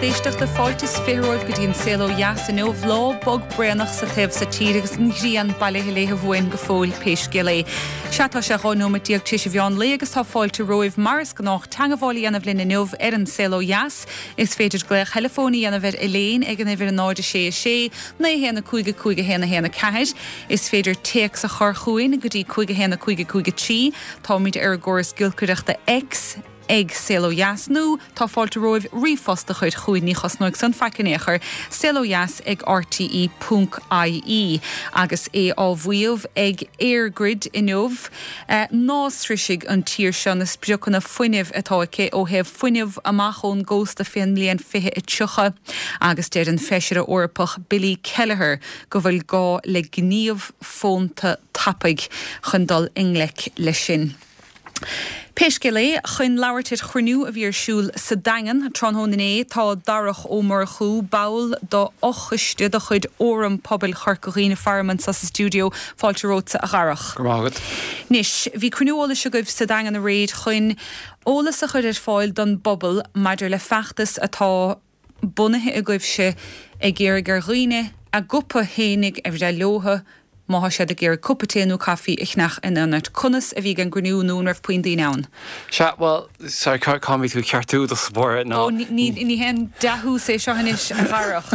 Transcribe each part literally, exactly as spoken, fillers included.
éisteachta fáilte is fiche romhaibh go dtí an saol ó dheas inniu lá bog braonach sa taobh so tíre agus an ghrian bailithe léithe uainn go fóill pé scéal é. Sea tá sé dhá nóiméad déag tar éis an mheán lae agus tá fáilte romhaibh mar is gnách teagmháil a dhéanamh linn inniu ar an saol ó dheas. Is féidir glaoch teileafóin a dhéanamh ar Elaine ag an uimhir náid sé a sé, naoi haon a cúig a cúig a haon a haon a ceathair. Is féidir téacs a chur chugainn go dtí cúig a haon a cúig a cúig a trí, Táimid ar an gcóras giolcaireachta X ag Saol Ó Dheas nó tá fáilte romhaibh ríomhphost a chur chugainn ní chosnóidh san faic in aon chor, Saol Ó Dheas ag rte ponc ie agus é á mhaíomh ag EirGrid inniu ná sroisfidh an tír seo na spriocanna fuinnimh atá aici ó thaobh fuinneamh amach ón gcósta fén mbliain fiche a tríocha agus deir an feisire Eorpach Billy Kelleher go bhfuil gá le gníomh fónta tapaidh chun dul i ngleic leis sin. Pé scéal é, chun labhairt ar chruinniú a bhí ar siúl sa Daingean tráthnóna inné, tá Darach Ó Murchú, ball d'fhochoiste de chuid Fhóram Pobail Chorca Dhuibhne faram anseo sa stiúideo. Fáilte romhatsa a Dharach. Go raibh maith agat. Anois, bhí cruinniú eolais agaibh sa Daingean aréir chun eolas a chur ar fáil don bpobal maidir le feachtas atá bunaithe agaibhse ag iarraidh ar dhaoine a gcupa fhéinig a bhreith leotha má tá siad ag iarraidh cupa tae nó caife a cheannach in ionad. Conas a bhí an gcruinniú nó an raibh puinn daoine ann? Sea, bhuel, sorry, cá mbeidh tú ceartú do spór ná. Ó, ní ní haon dea-thús é seo anois a Dharach.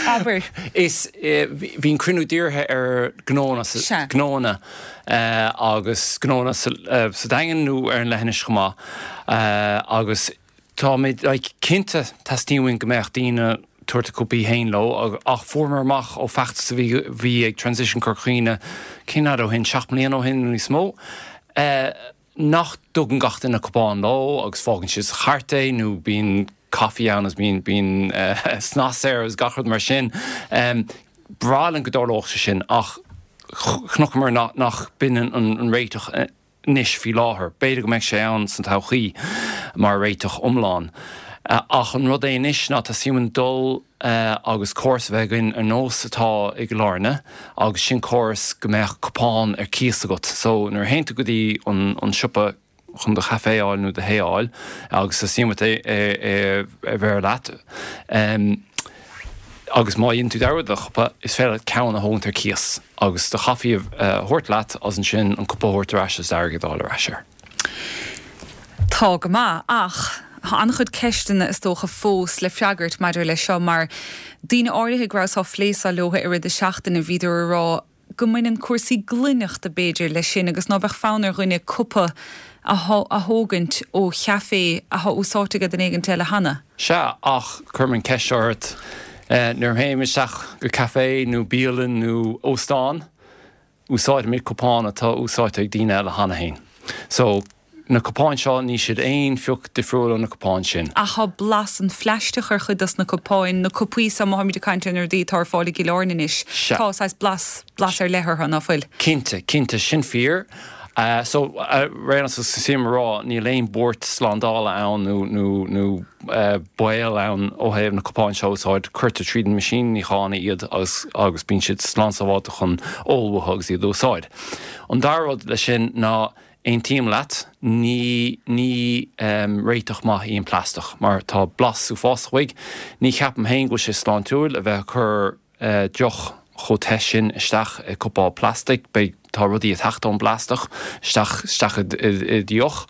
Abair. Is bhí an cruinniú dírithe ar gnónna Sea. gnónna agus gnónna sa Daingean nó ar an leithinis chomh maith agus táimid like, cinnte teastaíonn uainn go mbeadh daoine tabhairt a cupaí féin leo ach fuaireamar amach ó feachtas a bhí bhí ag Transition Corca Dhuibhne cén fhad ó shin seacht mbliana ó shin nó níos mó nach dtugann gach duine cupán leo agus fágann siad sa chairt é nó bíonn caife ann agus bíonn bíonn snas air agus gach rud mar sin. B'bhreá linn go dtarlódh sé sin ach chonaiceamar nach nach b'in an an réiteach anois faoi láthair. B'fhéidir go mbeidh sé ann san todhchaí mar réiteach iomlán. Ach an rud é anois ná teastaíonn uainn dul agus córas a bheith againn ar nós atá i gCill Airne agus sin córas go mbeadh cupán ar cíos agat. So nuair a théann tú go dtí an an siopa chun do chaife a fháil nó do thae a fháil agus teastaíonn uait é é a bheith leat agus má dhéanann tú dearmad do chupa is féidir leat ceann a thógaint ar cíos agus do chaife a thabhairt leat agus ansin an cupa a thabhairt ar ais is airgead a fháil ar ais air. Tá go maith ach tá an-chuid ceisteanna is dócha fós le freagairt maidir leis seo mar daoine áirithe go rabhas á phlé seo leo i rith na seachtaine bhíodar ag rá go mbaineann cúrsaí glaineachta b'fhéidir leis sin agus ná beadh fonn ar dhuine cupa a thógaint ó chaifé atá úsáidte ag duine éigin eile cheana. Sea, ach cuirim an ceist ort nuair a théim isteach go caife nó bialann nó óstán, úsáidimid cupán atá úsáidte ag daoine eile cheana féin. So na cupáin seo níl siad aon phioc difriúil ó na cupáin sin. Ach tá blas an phlaisteach ar chuid dos na cupáin, na cupaí so má tháimid ag caint ar na rudaí atá ar fáil i gCill Airne anois. Tá saghas blas blas ar leith orthu, ná fuil? Cinnte, cinnte, sin fíor. Uh, so réan sí rá níl aon buairt slándála ann nó nó nó uh, baol ann ó thaobh na cupáin seo úsáid cuirtear tríd an meaisín níocháin iad agus agus bíonn siad slán sábháilte chun ól uathu agus iad a úsáid. An dara rud leis sin ná aontaím leat ní ní um, réiteach maith í an plaisteach mar tá blas uafásach uaidh. Ní cheapaim féin go bhfuil sé sláintiúil a bheith chur uh, deoch chomh te sin isteach i cupán plastic, beidh tá rudaí ag teacht ón bplaisteach isteach isteach i deoch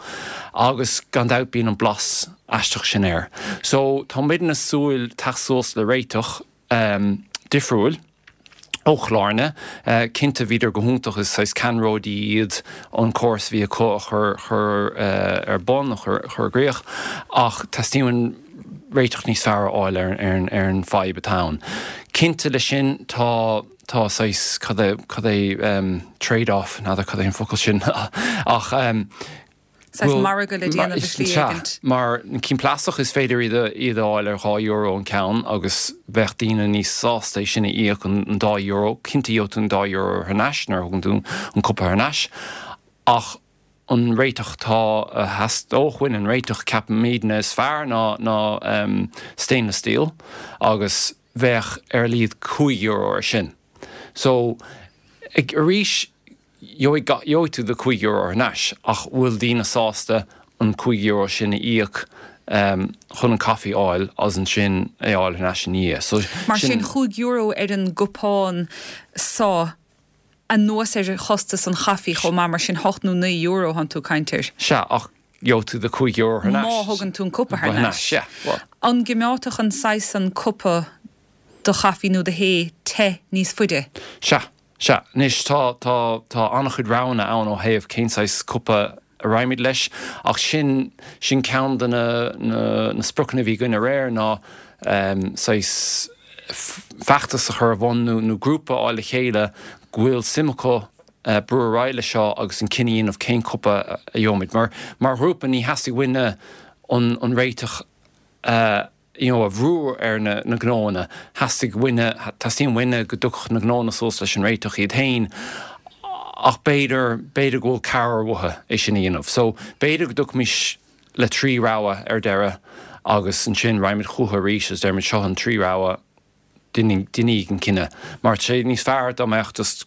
agus gan dabht bíonn an blas aisteach sin air. So tá muid ag súil teacht suas le réiteach um, difriúil ó Chill Airne, uh, cinnte bhíodar go hiontach is saghas ceannródaí iad an córas bhí acu a chur chur uh, ar bun chur chur i gcrích ach teastaíonn réiteach níos fearr a fháil ar ar ar an fadhb atá ann. Cinnte leis sin tá tá saghas cad é cad é um, trade-off n'fheadar cad é an focal sin ach um, Saghas margadh le déanamh i slí éigint. Mar na cinn plaisteach is féidir iad iad a fháil ar dhá euro an ceann agus bheadh daoine níos sásta é sin a íoc an, an dá euro, cinnte gheobhaidh tú an dá euro thar n-ais nuair a thugann tú an cupa thar n-ais ach an réiteach tá a theastódh uainn an réiteach ceapaimidne is fearr ná ná um, stainless steel agus bheadh ar a laghad cúig euro ar sin. So ag arís gheobhaidh tú do cúig euro thar n-ais ach bhfuil daoine sásta an cúig euro sin a íoc chun an caife a fháil agus ansin é fháil thar n-ais ina dhiaidh. So, Mar sin chúig euro ar an gcupán so anuas ar chostas an chaife chomh maith mar sin hocht nó naoi euro thánn tú ag caint air. Sea, ach gheobhaidh tú do cúig euro thar n-ais. Má thugann tú an cupa thar n-ais. Sea, well. An gcoimeádfadh an saghas san cupa do chaife nó do thae te níos faide? Sea, sea. Anois tá, tá, tá an-chuid roghanna ann ó thaobh cén saghas cupa a raghaimid leis ach sin, sin ceann de na, na, na spriocanna a bhí againn aréir ná saghas feachtas a chur ar bun nó, nó grúpa a fháil le chéile go bhfuil suim acu brú ar aghaidh leis seo agus an cinneadh a dhéanamh cén cupa a gheobhaimid. Mar, mar ghrúpa ní theastaigh uainne an, an réiteach a, you know, a bhrú ar na, na gnóanna. Theastaigh uainne, teastaíonn uainne go dtiocfadh na gnóanna suas leis an réiteach iad féin ach b'fhéidir, b'fhéidir go bhfuil cabhair uathu é sin a dhéanamh. So b'fhéidir go dtiocfaimis le trí rogha ar deireadh agus ansin raghaimid chucu arís agus déarfaimid seo an trí rogha, déanaigí an cinneadh. Mar tá sé níos fearr dá mbeadh just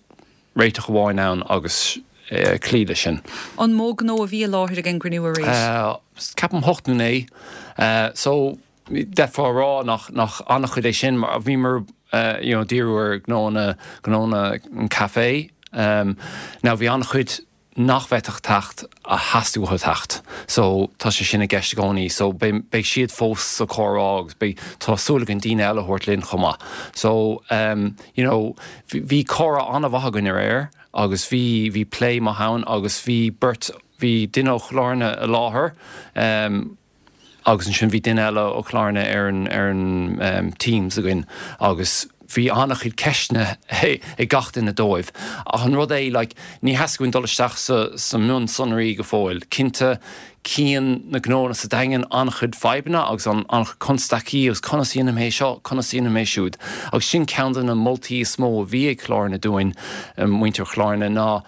réiteach amháin ann agus cloí leis sin. An mó gnó a bhí i láthair ag an gcruinniú aréir? Ceapaim hocht nó naoi. So d'fhéadfá a rá nach nach an-chuid é sin mar bhíomar you know díriú ar gnóanna gnóanna an café. Now bhí an-chuid nach bhféadfadh teacht a theastaigh uathu teacht. So tá sé sin i gceist i gcónaí. So beidh beidh siad fós sa chomhrá agus beidh tá súil againn daoine eile a thabhairt linn chomh maith. So um, you know, bhí comhrá an-mhaith againn aréir agus bhí bhí plé maith ann agus bhí beirt bhí duine ó Chill Airne i láthair um, agus ansin bhí duine eile ó Chill Airne ar an ar an um, Teams againn agus bhí an-chuid ceisteanna ag gach duine dóibh. Ach an rud é like, ní theastaigh uainn dul isteach sa, sa mionsonraí go fóill. Cinnte cíonn na gnóanna sa Daingean an-chuid fadhbanna agus an an-chuid constaicí agus conas a dhéanaim é seo, conas a dhéanaim é siúd. Agus sin ceann de na moltaí is mó a bhí ag Cill Airne dúinn, muintir Chill Airne, ná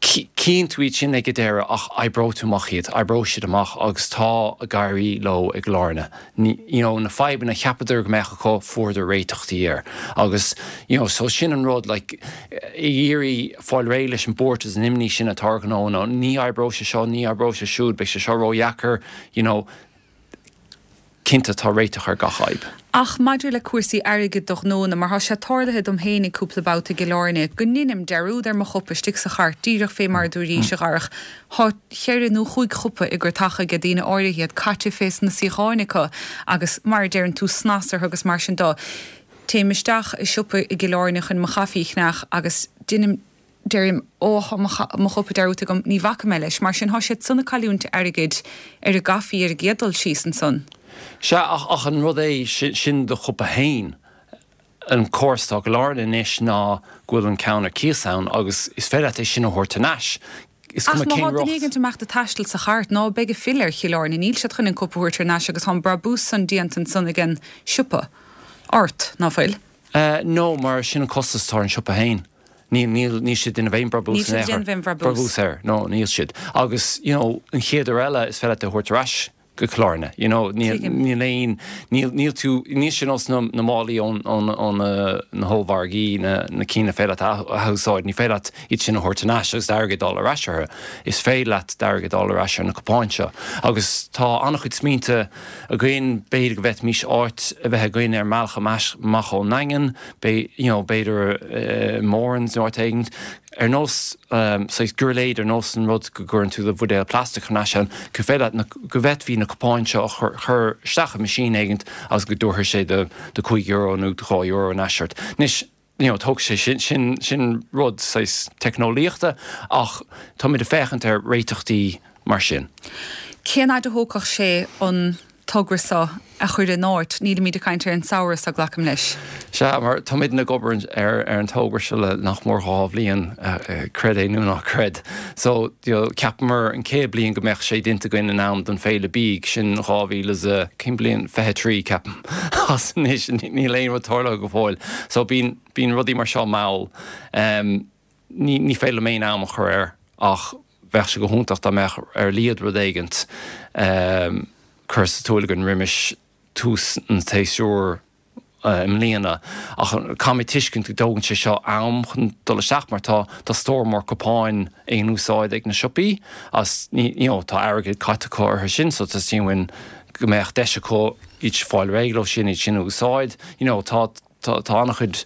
Cíonn tú iad sin ag an deireadh ach oibreoidh tú amach iad, oibreoidh siad amach agus tá ag éirí leo i gCill Airne. You know, na fadhbanna a cheapadar go mbeadh acu, fuaireadar réiteachtaí air. Agus, you know, so sin an rud, like, ag iarraidh fáil réidh leis an buairt is an imní sin atá ar ghnóanna, ní oibreoidh sé seo, ní oibreoidh sé siúd, beidh sé seo ródheacair, you know, Cinnte, tá réiteach ar gach fhadhb. Ach maidir le cúrsaí airgid do ghnónna, mar tá sé tarlaithe dom fhéinig cúpla babhta i gCill Airne, go ndeinim dearúd ar mo chupa istigh sa chairt, díreach fé mar a dúraís, a Dharach, thá cheithre nó chúig chupa i gcurtacha aige daoine áirithe, iad caite fés na suíocháin acu agus, mar a deireann tú, snas orthu agus mar sin dó. Téim isteach i siopa i gCill Airne chun mo chaife a cheannach agus deinim. Deirim, Ó, thá mo chupa dearúdta agam, ní bhacfaidh mé leis. Mar sin, thá siad san ag cailliúint airgid ar an gcaife ar an gcéad dul síos ansan. Sea, ach, ach an rud é, sin do chupa fhéin. An córas atá i gCill Airne anois ná go bhfuil an ceann ar cíos ann agus is féidir leat é sin a thabhairt thar n-ais. Is Ach cuma má cén thá duine roth. éigint ag imeacht ag taisteal sa chairt, ná beidh ag filleadh ar Chill Airne, níl siad chun an cupa a thabhairt thar n-ais agus thá an brabús san déanta ansan ag an siopa ort, ná fuil? Eh, no, mar sin an costas atá ar an siopa fhéin. Níl, níl, níl siad ag déanamh aon brabús Níl siad in aon chor. ag déanamh aon bhrabús. Brabús air, no, níl siad. Agus, you know, an chéad uair eile is féidir leat é a thabhairt ar ais go Cill Airne, you know, níl, Tuigim. níl aon, níl, níl tú, níl sé nós na, na málaí ón, ón, ón na, na hollmhargaí, na, na cinn a féidir leat a athúsáid, ní féidir leat iad sin a thabhairt thar n-ais agus d'airgead a fháil ar ais orthu. Is féidir leat d'airgead a fháil ar ais ar na cupáin seo. Agus tá an-chuid smaointe againn, b'fhéidir go bhféadfaimis áit a bheith againn ar an mbealach amach ón nDaingean, you know, b'fhéidir i Moran's nó áit éigin, ar nós saghas giuirléid, ar nós an rud go gcuireann tú do bhuidéal plaisteach thar n-ais ann, go féidir leat na, go bhféadfaí na cupáin seo a chur, chur isteach i meaisín éigint agus go dtabharfaidh sé do, do cúig euro nó do dhá euro thar n-ais ort. Anois, you know, tógfaidh sé sin, sin, sin rud saghas teicneolaíochta ach táimid ag féachaint ar réiteachtaí mar sin. Cén fhaid a thógfadh sé an togra seo a chur in áit? Nílimid ag caint ar an samhradh seo, glacaim leis. Sea, mar táimidne ag obair ar ar an togra seo le nach mór dhá bhliain, creid é nó ná creid. So, you know, cheapamar an chéad bliain go mbeadh sé déanta againn in am don Féile Bídh, sin dhá mhíle is a, cén bliain, fiche trí, ceapaim. Agus anois níl aon rud tarlaithe go fóill. So bíonn, bíonn rudaí mar seo mall. Ní, ní féidir liom aon am a chur air ach bheadh sé go hiontach dá mbeadh ar a laghad rud éigint curtha sa tsiúl againn roimis tús an tséasúir i mbliana ach caithfimid tuiscint go dtógann sé seo am chun dul isteach mar tá tá stór mór cupáin in úsáid ag na siopaí as you know, tá airgead caite acu orthu sin so teastaíonn uainn go mbeadh deis acu iad fáil réidh leo sin iad sin a úsáid you know, tá tá tá an-chuid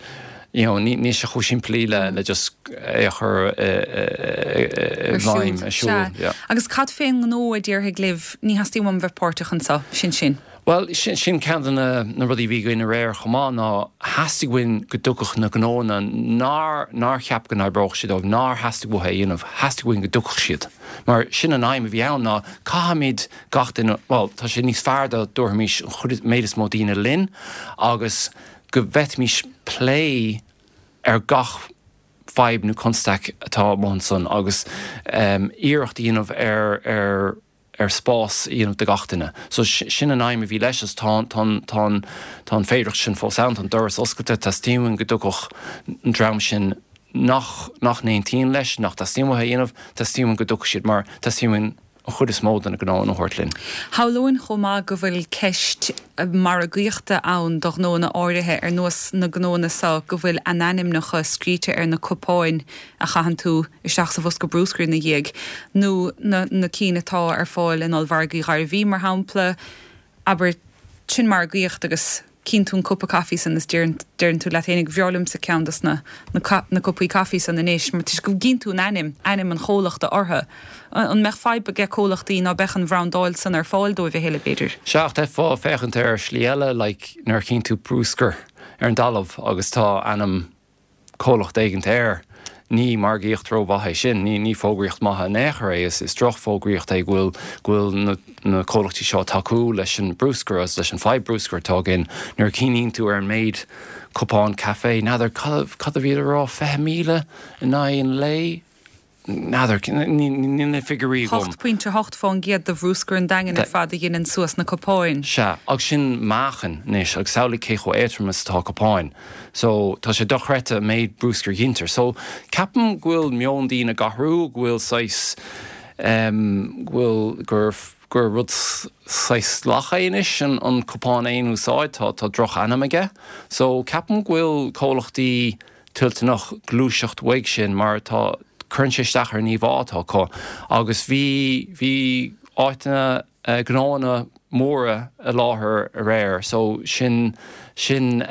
you know, ní ní sé chomh simplí le le just é a chur i bhfeidhm ar siúl. Yeah. Agus cad fén ngnó a déarfaidh libh ní theastaíonn uaim bheith páirteach anseo sin sin. Well sin sin ceann de na na rudaí bhí againn aréir chomh maith ná theastaigh uainn go dtiocfadh na gnóanna nár nár cheap go n-oibreodh sé dóibh nár theastaigh uathu é a dhéanamh, theastaigh uainn go dtiocfadh siad. Mar sin an aidhm a bhí ann ná caithfimid gach duine, bhuel tá sé níos fearr dá dtabharfaimis an chuid méid is mó daoine linn agus go bhféadfaimis plé ar gach fadhb nó constaic atá amuigh ansan agus um, iarracht a dhéanamh ar ar ar spás a dhéanamh do gach duine. So sin an aidhm a bhí leis tá tá tá tá an féidearthacht sin fós ann an doras oscailte teastaíonn go dtiocfadh an dream sin nach nach n-aontaíonn leis nach dteastaíonn uathu a dhéanamh, teastaíonn go dtiocfadh siad mar teastaíonn an chuid is mó de na gnóanna a thabhairt linn. Shamhlóinn chomh maith go bhfuil ceist margaíochta ann do ghnóanna áirithe ar nós na gnóanna seo go bhfuil a n-ainmneacha scríte ar na cupáin a chaitheann tú isteach sa bhosca bruscair ina dhiaidh, nó na, na cinn atá ar fáil in ollmhargaí Ghairbhí mar shampla, abair sin margaíocht agus cíonn tú an cupa caife san is deireann deireann tú leat féinig b'fhearr liomsa ceann dos na na na cupaí caife san anois mar toisc go gcíonn tú an ainm, ainm an chomhlachta orthu. An mbeadh fadhb aige comhlachtaí ná beadh an bhrandáil san ar fáil dóibh a thuilleadh b'fhéidir? Sea, ach d'fhéadfá féachaint ar shlí eile like nuair a chíonn tú bruscar ar an dtalamh agus tá ainm comhlacht éigint air. Ní margaíocht rómhaith é sin, ní ní fógraíocht maith in aon chor é, is is drochfhógraíocht é go bhfuil go bhfuil na na comhlachtaí seo ag tacú leis an bruscar agus leis an fadhb bruscair atá againn. Nuair a chuimhníonn tú ar an méid cupán caife, n'fheadar cad cad a bhíodar a rá, fiche míle in aghaidh an lae? N'fheadar, níl na figiúirí agam. Hocht pointe hocht fán gcéad de bhruscar an Daingin ar fad a ghineann suas na cupáin. Sea, agus sin meáchan anois, agus samhlaigh cé chomh éadrom is atá cupáin. So, tá sé dochreidte an méid bruscair a ghintear. So, ceapaim go bhfuil meon daoine ag athrú, go bhfuil saghas, em, go bhfuil, gur, gur rud saghas salach é anois an, an cupán aon úsáid, tá, tá droch-ainm aige. So, ceapaim go bhfuil comhlachtaí toilteanach gluaiseacht uaidh sin mar tá, cuireann sé isteach ar an íomhá atá acu agus bhí, bhí áiteanna, gnóanna móra i láthair aréir so sin, sin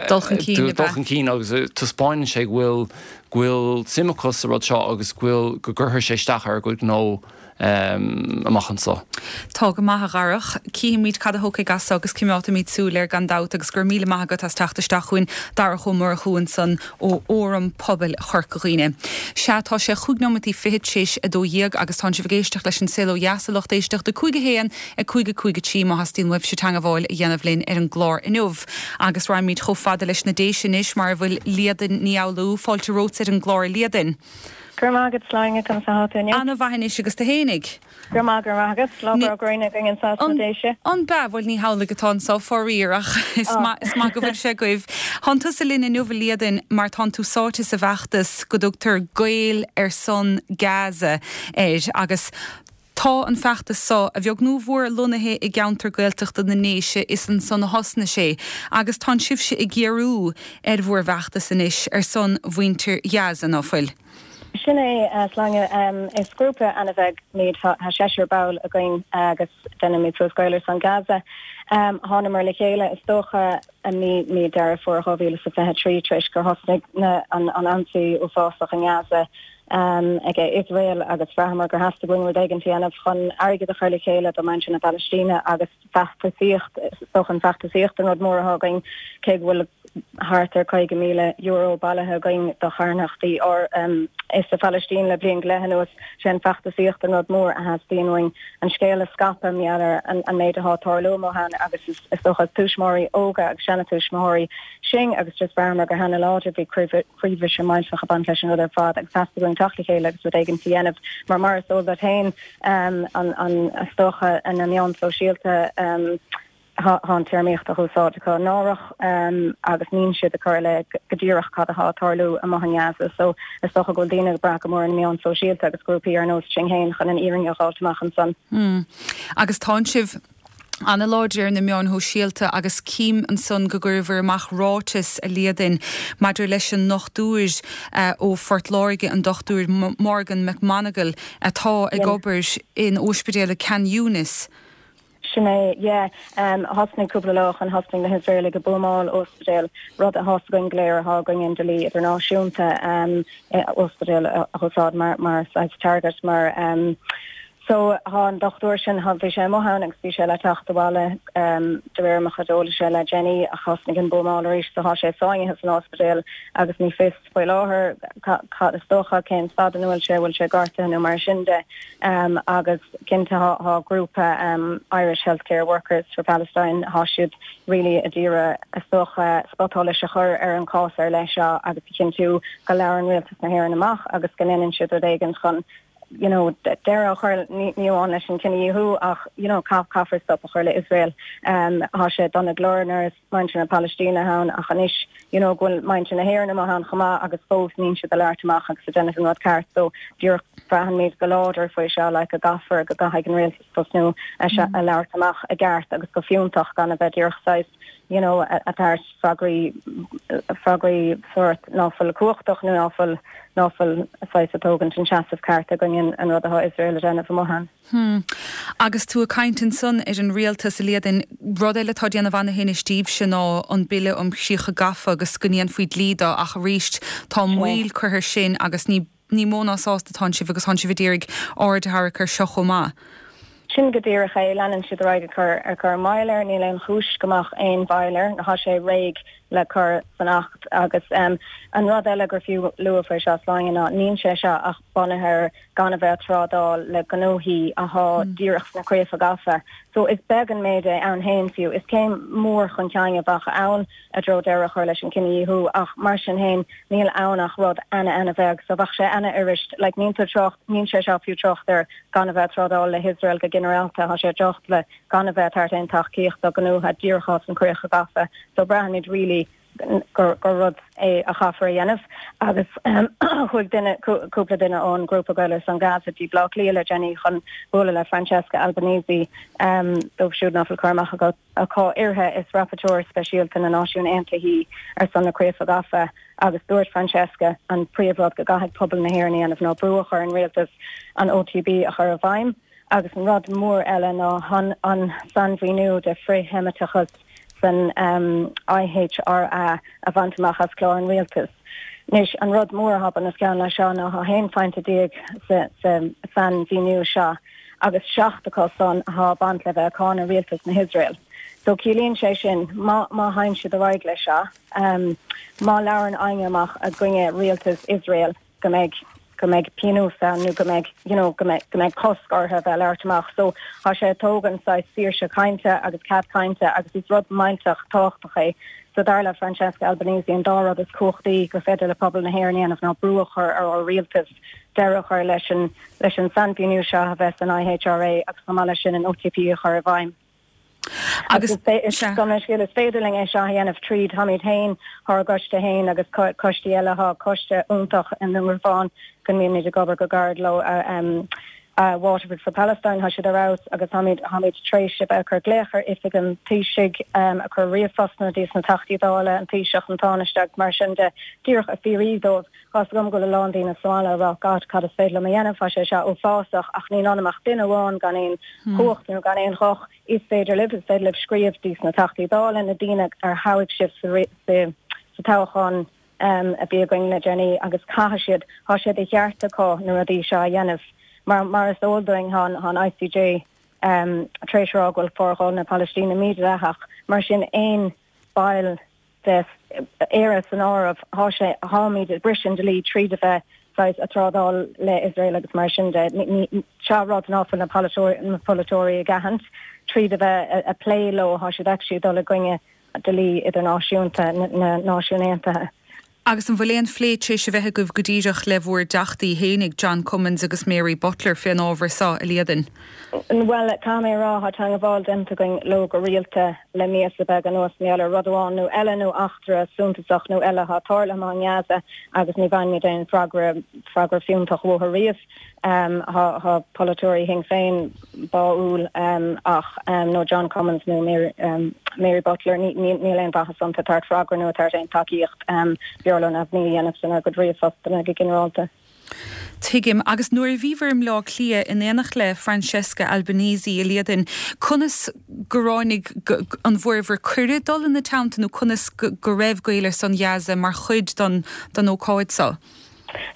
Dul chun cinn ab ea? Dul chun cinn agus taispeánann sé go bhfuil, go bhfuil suim acu sa rud seo agus go bhfuil, go gcuirfidh sé isteach ar a gcuid gnó. amach anseo. Tá go maith, a Dharach. Cífimid cad a thiocfaidh as so agus coimeádfaimid súil air gan dabht agus go raibh míle maith agat as teacht isteach chugainn, Darach Ó Murchú ansan ó Fhóram Pobail Chorca Dhuibhne. Sea, tá sé chúig nóimeataí fichead tar éis a dó dhéag agus tánn sibh ag éisteacht leis an Saol Ó Dheas, a lucht éisteachta, cúig a haon, a cúig a cúig a trí má theastaíonn uaibhse teangabháil a dhéanamh linn ar an gclár inniu. Agus raghaimid chomh fada leis na Déise anois mar a bhfuil Líadan Ní Fhoghlú. Fáilte romhat ar an gclár, a Líadain. Go raibh maith agat, Sláine, conas atá tú inniu? Ana-mhaith anois agus tú fhéinig? Go raibh maith, go raibh maith agat. Lá breá gréine againn anseo sna Déise. An b'ea? Bhuel ní hamhlaidh atá anseo faraor ach is maith, is maith go bhfuil sé agaibh. Tánn tusa linn inniu a Líadain mar tánn tú sáite sa bhfeachtas go dtugtar Gaeil ar son Gaza air agus Tá an feachtas so, a bheag nó a mhór, lonnaithe i gceantar Gaeltachta na nDéise, is ansan a thosnaigh sé, agus tánn sibhse ag géarú ar bhur bhfeachtas anois ar son mhuintir Ghaza, ná fuil? Sin é, a Shláine. Is grúpa ana-bheag muid, tá seisear ball againn agus déanaimid suas Gaeil ar son Gaza. Thánamar le chéile, is dócha, i mí mí Deireadh Fómhair dhá mhíle is a fiche a trí tar éis gur thosnaigh an an ionsaí uafásach i nGaza ag Iosrael agus bhraitheamar gur theastaigh uainn rud éigin a dhéanamh chun airgead a chur le chéile do mhuintir na Palaistíne agus feachtasaíocht, is dócha an feachtasaíocht an rud mór atá againn, cé go bhfuil thart ar caoga míle euro bailithe againn do charthanachtaí sa Phalaistín le bliain go leith anuas, sé an feachtasaíocht an rud mór a theastaíonn uainn, an scéal a scaipeadh mar gheall ar an méid atá ag tarlú amuigh ann agus is dócha is tuismitheoirí óga agus seanatuismitheoirí sinn agus just bhraitheamar gur ana-láidir, bhí croíbhriseadh millteach ag baint leis an rud ar fad agus theastaigh uainn teacht le chéile agus rud éigin a dhéanamh mar mar is eol duit féin an an is dócha na meáin sóisialta tá an téarmaíocht á úsáid acu náireach agus níl siad ag cur le go díreach cad atá ag tarlú amuigh in Gaza so is dócha go bhfuil daoine ag brath go mór ar na meáin sóisialta agus grúpaí ar nós Sinn Féin chun an fhírinne a fháilt amach ansan. Agus tánn sibh Ana-láidir ar na meáin shóisialta agus cím ansan go gcuireabhair amach ráiteas, a Líadain, maidir leis an ndochtúir ó Phort Láirge, an Dochtúir Morgan McMonagle, atá ag obair in ospidéal i Khan Younis. Sin é, yeah. Thosnaigh cúpla lá ó shoin, thosnaigh na hIosraelaigh ag buamáil ospidéal, rud atá 's againn go léir atá i gcoinne an dlí idirnáisiúnta, ospidéal a úsáid mar mar saghas target mar So thá an dochtúir sin, thá, bhí sé amuigh ann agus bhí sé le teacht abhaile de réir mo chuid eolais le déanaí ach thosnaigh an buamáil arís so thá sé sáinnithe san ospidéal agus ní fios faoi láthair cad is dócha cén staid ina bhfuil sé, bhfuil sé gortaithe nó mar sin de agus cinnte thá, thá grúpa Irish Healthcare Workers for Palestine, thá siad really ag iarraidh is dócha spotsholas a chur ar an chás ar leith seo agus a chinntiú go labhrann Rialtas na hÉireann amach agus go ndéanann siad rud éigin chun you know, deireadh a chur ní amháin leis an cinedhíothú ach you know, caithfear stop a chur le Iosrael. Um, thá sé dona go leor nuair is muintir na Palaistíne ann ach anois you know, go bhfuil muintir na hÉireann amuigh ann chomh maith agus fós níl siad ag labhairt amach agus ag déanamh an rud ceart so díreach braithimid go láidir faoi seo like, go gcaithfear go gcaithfidh an rialtas tosnú a mm. a labhairt amach i gceart agus go fiúntach gan a bheith díreach saghas you know, ag tabhairt freagraí freagraí sórt ná fuil cumhachtach nó ná fuil ná fuil saghas ag tógaint an seasamh ceart i gcoinne an rud atá Iosrael a dhéanamh amuigh ann. Hmm. Agus tú ag caint ansan ar an rialtas, a Líadain, rud eile atá ag déanamh ana-thinnis daoibhse ná an bille um chríocha gafa agus go ndéanfaí dlí de ach arís tá moill curtha air sin agus ní ní mó ná sásta atánn sibh agus tánn sibh ag iarraidh aird a tharrac air seo chomh maith. Sin go díreach é, leanann siad ar aghaidh ag cur ar cur moill air, níl aon chúis go mbeadh aon mhoill air, thá sé réidh le cur san Acht agus um, an rud eile gur fiú lua faoi seo Sláine ná níl sé seo ach bunaithe ar gan a bheith ag trádáil le gnóthaí athá mm. díreach sna críocha gafa. So is beag an méid é ann féin fiú, is céim mór chun cinn a bheadh ann i dtreo deireadh a chur leis an cinedhíothú ach mar sin féin níl ann ach rud ana-ana-bheag, so bheadh sé ana-fhuirist, like níl tú trácht níl sé seo fiú trácht ar gan a bheith trádáil le hIosrael go ginearálta thá sé trácht le gan a bheith tabhairt aon tacaíocht do ghnótha díreach sna críocha gafa, so braithimid really gur gur rud é a chaithfear a dhéanamh agus um, chuaigh duine cúpla duine ón grúpa Gael ar son Gaza dtí Baile Átha Cliath le déanaí chun bualadh le Francesca Albanese um, dóibh siúd nach bhfuil cur amach acu uirthi is rapporteur speisialta na Náisiún Aontaithe ar son na críocha gafa agus dúirt Francesca an príomhrud go gcaithfidh pobal na hÉireann a dhéanamh ná brú a chur ar an rialtas an OTP a chur i bhfeidhm agus an rud mór eile ná han an sainmhíniú de frith-Sheimiteachas san um, IHRA a bhaint amach as clár an rialtais. Anois an rud mór atá bunoscionn leis seo ná thá aon phointe déag sa, sa sainmhíniú seo agus seacht acu san atá ag baint le bheith ag cáineadh rialtas na hIosrael. So ciallaíonn sé sin má má théann siad ar aghaidh leis seo um, má labhrann éinne amach i gcoinne rialtas Iosrael go mbeidh go mbeidh pionós ann nó go mbeidh you know, go mbeidh go mbeidh cosc orthu bheith labhairt amach. So thá sé ag tógaint saghas saoirse cainte agus cead cainte agus is rud millteach tábhachtach é. So dar le Francesca Albanese an dá rud is cumhachtaí gur féidir le pobal na hÉireann a dhéanamh ná brú a chur ar ár rialtas deireadh a chur leis an leis an sainmhíniú seo a bheith san IHRA agus chomh maith leis sin an OTP a chur i bhfeidhm. Agus scéal is féidir linn é seo a dhéanamh tríd táimid féin thá ár gcoiste féin agus coistí eile thá coiste iontach i nDún Garbhán go mbímid ag obair go gairid leo um, uh, Waterford for Palestine thá siad ar fheabhas agus táimid táimid tar éis a bheith ag cur glaoch ar oifig an Taoisigh um, ag cur ríomhphostanna dtí na Teachtaí Dála an Taoiseach an Tánaiste agus mar sin de díreach ag fiafraí dóibh Tá 's agam go bhfuil a lán daoine sa bhaile ag rá God cad is féidir liom a dhéanamh thá sé seo uafásach ach níl ann ach duine amháin gan aon hmm. chumhacht nó gan aon ghuth is féidir libh is féidir libh scríobh dtí na Teachtaí Dála na daoine ar thoghadh sibh sa sa toghchán um, a bhí againn le déanaí agus caithfidh siad thá sé de cheart acu na rudaí seo a dhéanamh mar mar is eol dúinn thá an ICJ um, tar éis rá go bhfuil forghabháil na Palaistíne mídhleathach mar sin aon ball de Éire san áireamh thá sé tháimid ag briseadh an dlí tríd a bheith saghas ag trádáil le Israel agus mar sin de seo rud nach bhfuil na na polaiteoirí ag aithint tríd a bheith ag plé leo thá siad actually dul i gcoinne dlí idirnáisiúnta na Náisiún Aontaithe. Agus an bhfuil aon phlé tar éis a bheith agaibh go díreach le bhur dteachtaí fhéinig John Cummins agus Mary Butler fén ábhar seo, a Líadain? Well tá mé rá thá teagmháil déanta againn leo go rialta le míosa beag anuas mar gheall ar rud amháin nó eile nó eachtra suntasach nó eile atá tarlaithe i nGaza agus ní bhfaighimid aon freagra freagra fiúntach uathu riamh. Tá polaiteoirí Shinn Féin báúil ach nó John Cummins nó Mary Butler níl aon mhaitheas iontu ag tabhairt freagra nó ag tabhairt aon tacaíocht. B'fhearr leo neamhní a dhéanamh inár gcuid ríomhphostanna go ginearálta. Tuigim. Agus nuair a bhíobhair i mBleá Cliath in éineacht le Francesca Albanese, a Líadan, conas gur tháinig an bhfuaireabhair cuireadh dul ina teannta nó conas go raibh Gaeil ar son Ghaza mar chuid don don ócáid seo?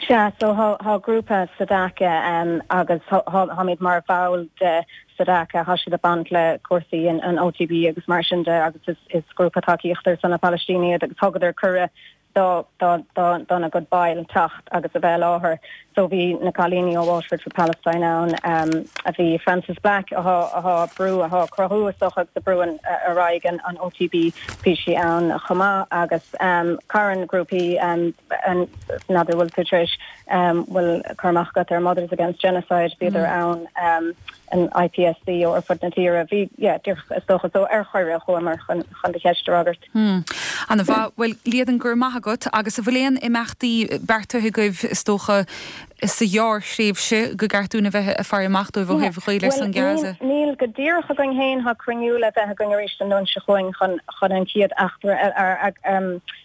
Sea, so thá grúpa Sadaqa agus tháimid mar bhall de Sadaqa, thá siad ag baint le cúrsaí an OTB agus mar sin de agus is grúpa tacaíochta ar son na Palaistíne iad agus thugadar cuireadh do dona gcuid baill teacht agus a bheith i láthair. So bhí na cailíní ó Waterford for Palestine ann, a bhí Frances Black athá athá brú athá cruthú is dócha agus ag brú an ar aghaidh an an OTB bhí sí ann chomh maith agus carn grúpaí n'fheadar bhfuil tú tar éis bhfuil cur amach agat ar Mothers Against Genocide bhíodar ann an IPSC ó ar fud na tíre. Bhí, yeah, díreach is dócha so ar chuireadh chuamar chun chun do cheist a fhreagairt. Hmm. Ana mhaith. Bhuel, Líadan, go raibh maith agat agus an bhfuil aon imeachtaí beartaithe agaibh is dócha sa ghearrthréimhse gur ceart dúinn a bheith ag faire amach dóibh ó thaobh Ghaeil ar son Gaza? Níl, níl go díreach againn féin, tá cruinniú le bheith againn arís an Luan seo chugainn chun chun an chéad eachtra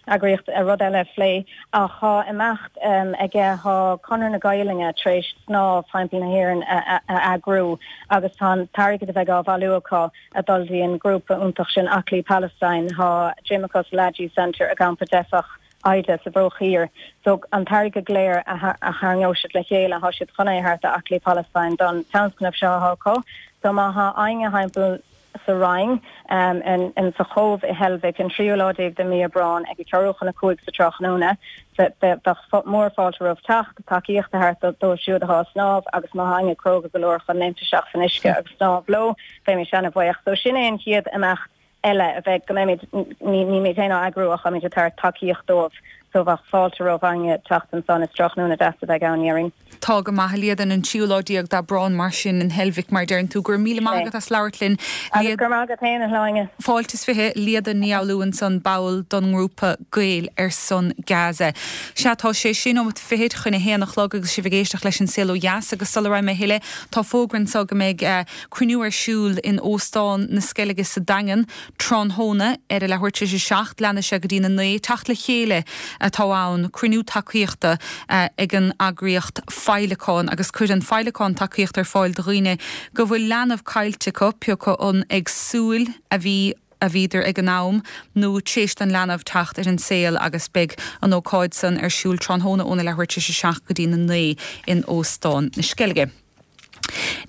eagraíocht rud eile a phlé ach tá imeacht aige tá Conradh na Gaelainne tar éis snámh thimpeall na hÉireann a eagrú agus tá an t-airgead a bheidh á bhailiú acu ag dul dtí an grúpa iontach sin Aclaí Palestine. Tá gym acu sa Lajee Centre i gcampa teifeach Aida sa Bhruach Thiar. So an t-airgead go léir a tharraingeoidh siad le chéile, tá siad chun é a thabhairt do Aclaí Palestine don tionscnamh seo atá acu. So má tá éinne thimpeall sa Rinn, in sa Chóbh i Heilbhic, an tríú lá déag de mhí Aibreáin ag a ceathrú chun a cúig sa tráthnóna. Bheadh mórfháilte roimh teacht, tacaíocht a thabhairt dóibh siúd atá ag snámh agus má tá éinne cróga go leor chun léimt isteach san uisce agus snámh leo, bheimis ana-bhuíoch. So sin é an chéad imeacht eile a bheidh, go mbeimid, nílimid féin á eagrú ach táimid ag tabhairt tacaíocht dóibh. So bheadh fáilte roimh éinne teacht ansan, is tráthnóna deas a bheidh ann, déarfainn. Tá go maith, a Líadan, an tríú lá déag d'Aibreán mar sin in Heilbhic mar deireann tú. Go raibh míle maith agat as labhairt linn. Agus go raibh maith agat féin, a Shláine. Fáilte is fiche, Líadan Ní Fhoghlú ansan, ball don ngrúpa Gaeil ar son Gaza. Sea, tá sé sé nóimeat fichead chun a haon a chlog agus sibh ag éisteacht leis an Saol Ó Dheas agus sula raghaidh mé a thuilleadh, tá fógra anso go mbeidh cruinniú ar siúl in Óstán na Sceilge sa Daingean tráthnóna ar a leathuair tar éis a seacht, leanfaidh sé go dtí'n a naoi, teacht le chéile atá ann, cruinniú tacaíochta ag an eagraíocht Féileacán agus cuireann Féileacán tacaíocht ar fáil do dhaoine go bhfuil leanbh caillte acu, pé acu an ag súil a bhí a bhíodar ag an am nó tar éis don leanbh teacht ar an saol agus beidh an ócáid san ar siúl tráthnóna óna leathuair tar éis a seacht go dtí'n a naoi in Óstán na Sceilge.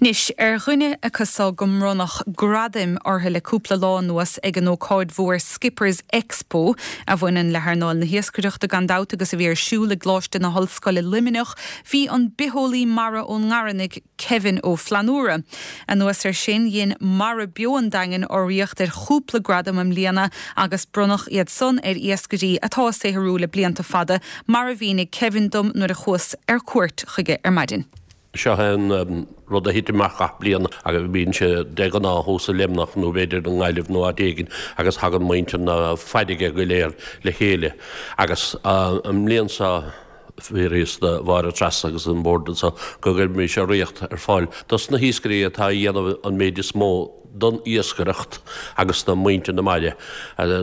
Anois, ar dhuine acu so go mbronnadh gradaim orthu le cúpla lá anuas ag an ócáid mhór Skippers Expo, a bhaineann le hearnáil na hiascaireachta gan dabht agus a bhí ar siúl i gColáiste na hOllscoile Luimneach, bhí an bitheolaí mara ón nGarmanaigh, Kevin Ó Flannúra. Anuas air sin, dhein Mara Beo an Daingin urraíocht ar chúpla gradam i mbliana agus bronnadh iad san ar iascairí atá ag saothrú le blianta fada, mar a mhínigh Kevin dom nuair a chuas ar cuairt chuige ar maidin. Seo é an rud a thit amach gach bliain agus bíonn sé de ghnáth thuas i Luimneach nó b'fhéidir i nGaillimh nó áit éigin agus tagann muintir na farraige go léir le chéile agus an mbliain seo fiafraíodh de Mháire Treasa agus an bord anseo go gcuirfimis urraíocht ar fáil dos na hiascairí atá a dhéanamh an méid is mó don iascaireacht agus do mhuintir na mara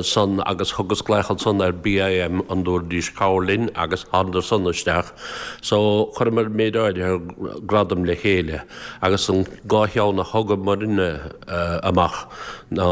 san agus thugas glaoch ansan ar BIM an dtabharfaidís cabhair linn agus thánadar san isteach so chuireamar méid áirithe gradam le chéile agus an dhá cheann a thugamarna amach ná